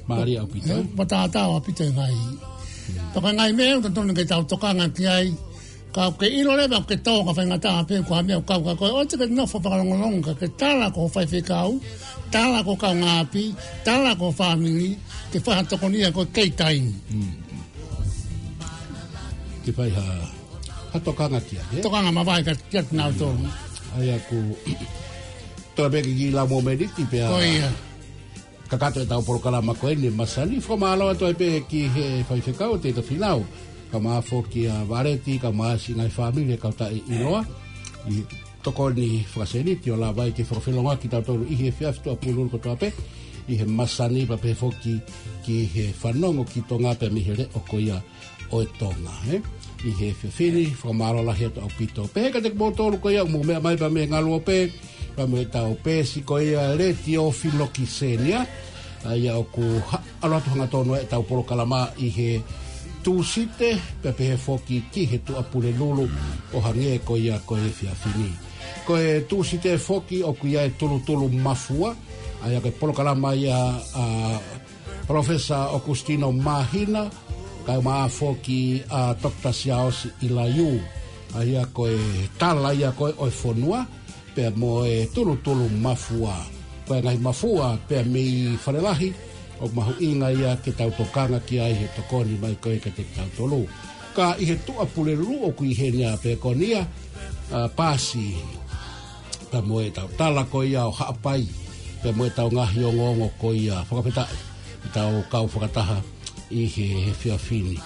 Mālie ʻaupito. Ē, mataotao ʻaupito e ngaahi. Pea ko e ngaahi meʻa ʻoku totonu ke tau tokanga ki ai. Ka ke ʻilo leva ke tō ka faingataʻa pē ko ha meʻa ʻoku kau ka ko e ʻoua te ke nofo fakalongolongo ka ke tala ki ho faifekau, tala ki ho kaungāʻapi, tala ki ho fāmili, ke fai ha tokonia ko e kei taimi. Ke fai ha, ha tokanga ki ai, ē? Tokanga mavahe ka, kiate nautolu. ʻA ia ʻoku toe pē kiʻi lau momeniti pea. Ko ia. Kakato ʻetau polokalama ko eni masani, fakamālō atu ai pē ki he faifekau Teita Finau, kae ʻumaʻā foki ʻa Valeti, kae ʻumaʻā siʻi ngaahi fāmili ʻo e kau taʻeʻiloa, ʻi he tokoni fakasēniti ʻo lava ai ke fakafelongoaki kitautolu ʻi he efiafi Tuʻapulelulu kotoa pē, ʻi he masani pea pehē foki ki he fanongo ki Tonga pea mei he leʻo ko ia ʻo e Tonga, ē? ʻI he efiafi ni, fakamālō lahi atu ʻaupito. Pehē kiate kimoutolu ko ia ʻoku mou meʻa mai pea mei he ngaluope, pea mei heʻetau peesi ko ia Letiō Filokisenia. ʻA ia ʻoku ha-, ʻalu atu hangatonu ʻetau polokalama ʻi he Tūsite, pea pehē foki ki he Tuʻapulelulu, ʻo hangē ko ia ko e efiafi ni. Ko e Tūsite foki ʻoku ʻi ai e Tulutulu Mafua, ʻa ia ko e polokalama ia ʻa Palōfesa ʻOkusitino Māhina, kae ʻumaʻā foki ʻa Toketā Siaosi ʻIlaiū. ʻA ia ko e tala ia ko ē ʻo e fonua, pea mo e Tulutulu Mafua. Ko e ngaahi mafua, pea mei Falelahi, ʻoku mahuʻinga ia ke tau tokanga ki ai he tokoni mai ko ē kiate kitautolu. Ka ʻi he Tuʻapulelulu ʻoku ʻi heni ʻa Pekonia, ʻa Pasi, pea mo ʻetau tala ko ia ʻo Haʻapai, pea mo ʻetau ngaahi ongoongo ko ia fakafetaʻi, ʻetau kau fakataha ʻi he, he efiafi ni.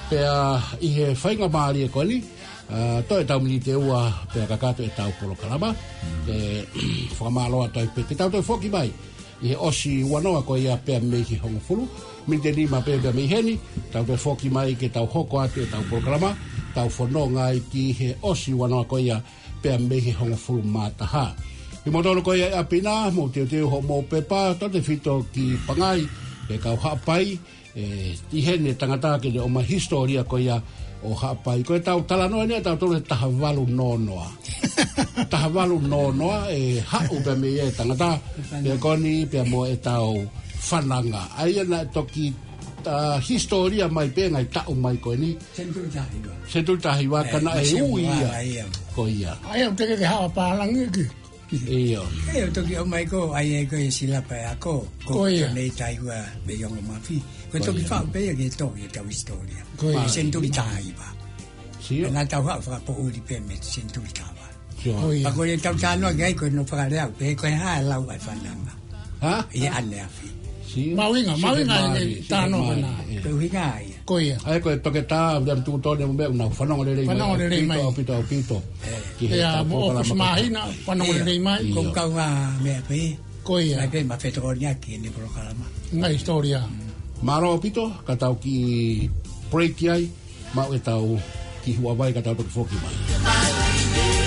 Pea ʻi he faingamālie ko eni, ʻa, toe ʻetau miniti ʻe ua, pea kakato ʻetau polokalama, ʻe, fakamālō atu ai pē, te tau toe foki mai, ʻi he ʻosi ua noa ko ia pea mei he hongofulu, miniti ʻe nima pē pea mei heni, tau toe foki mai ke tau hoko atu ʻetau polokalama, tau fononga ai ki he ʻosi ua noa ko ia, pea mei he hongofulu mā taha. Kimoutolu ko ia ʻi ʻapi na, mou teuteu hoʻomou pepa, tautefito ki Pangai, ʻe kau Haʻapai, ʻe, ʻi heni e tangata ke ne ʻomai e hisitōlia ko ia ʻo Haʻapai. Ko ʻetau talanoa eni ʻatautolu he taha valu noa noa. Taha valu noa noa, ʻe haʻu pea mei ai e tangata, pea ko eni, pea mo ʻetau Fananga. ʻA ia naʻe toki, ʻa, hisitōlia mai pē ngaahi taʻu mai ko eni. Senituli taha hiva. Senituli taha hiva, ka naʻe ui ia. Ko ia. ʻA ia, ʻoku teʻeki ke haʻu ʻa Pālangi ki. ʻIo. ʻE, ʻo toki ʻomai ko, ʻa ia ko e silapa ʻe ako. Ko ia. Nei taihua me iongo mafi. Ko toki faʻu pē ia ke toki e tau hisitōlia. Ko ia. Senituli taha hiva. Sio. Naʻa tau haʻu fakapoʻuli pē mei senituli taha hiva. Sio. Ko ia. Pea ko e tau talanoa ki ai ko e no fakalea, pe ko e hā e lau ʻa e fananga. Ha? ʻI ʻaneafi. Sio. Mahuʻinga, sio, mahuʻinga e talanoa ko ena. Ko e ʻuhinga ia. Ko ia. ʻA ia ko e toketā, Viliami Tūtone mo meʻa, ʻoku nau fanongo lelei mai. Fanongo lelei mai. ʻAupito, ʻaupito. Ki he ʻEa, mo ʻoku mahina, fanongo lelei mai. Ko e kau ngaahi meʻa pē. Ko ia. Mai pē ma fetokoniʻaki ʻene polokalama. Ngaahi hisitōlia. Mālō ʻaupito, ka tau kiʻi break ai, maʻu e tau kiʻi huavai ka tau toki foki mai.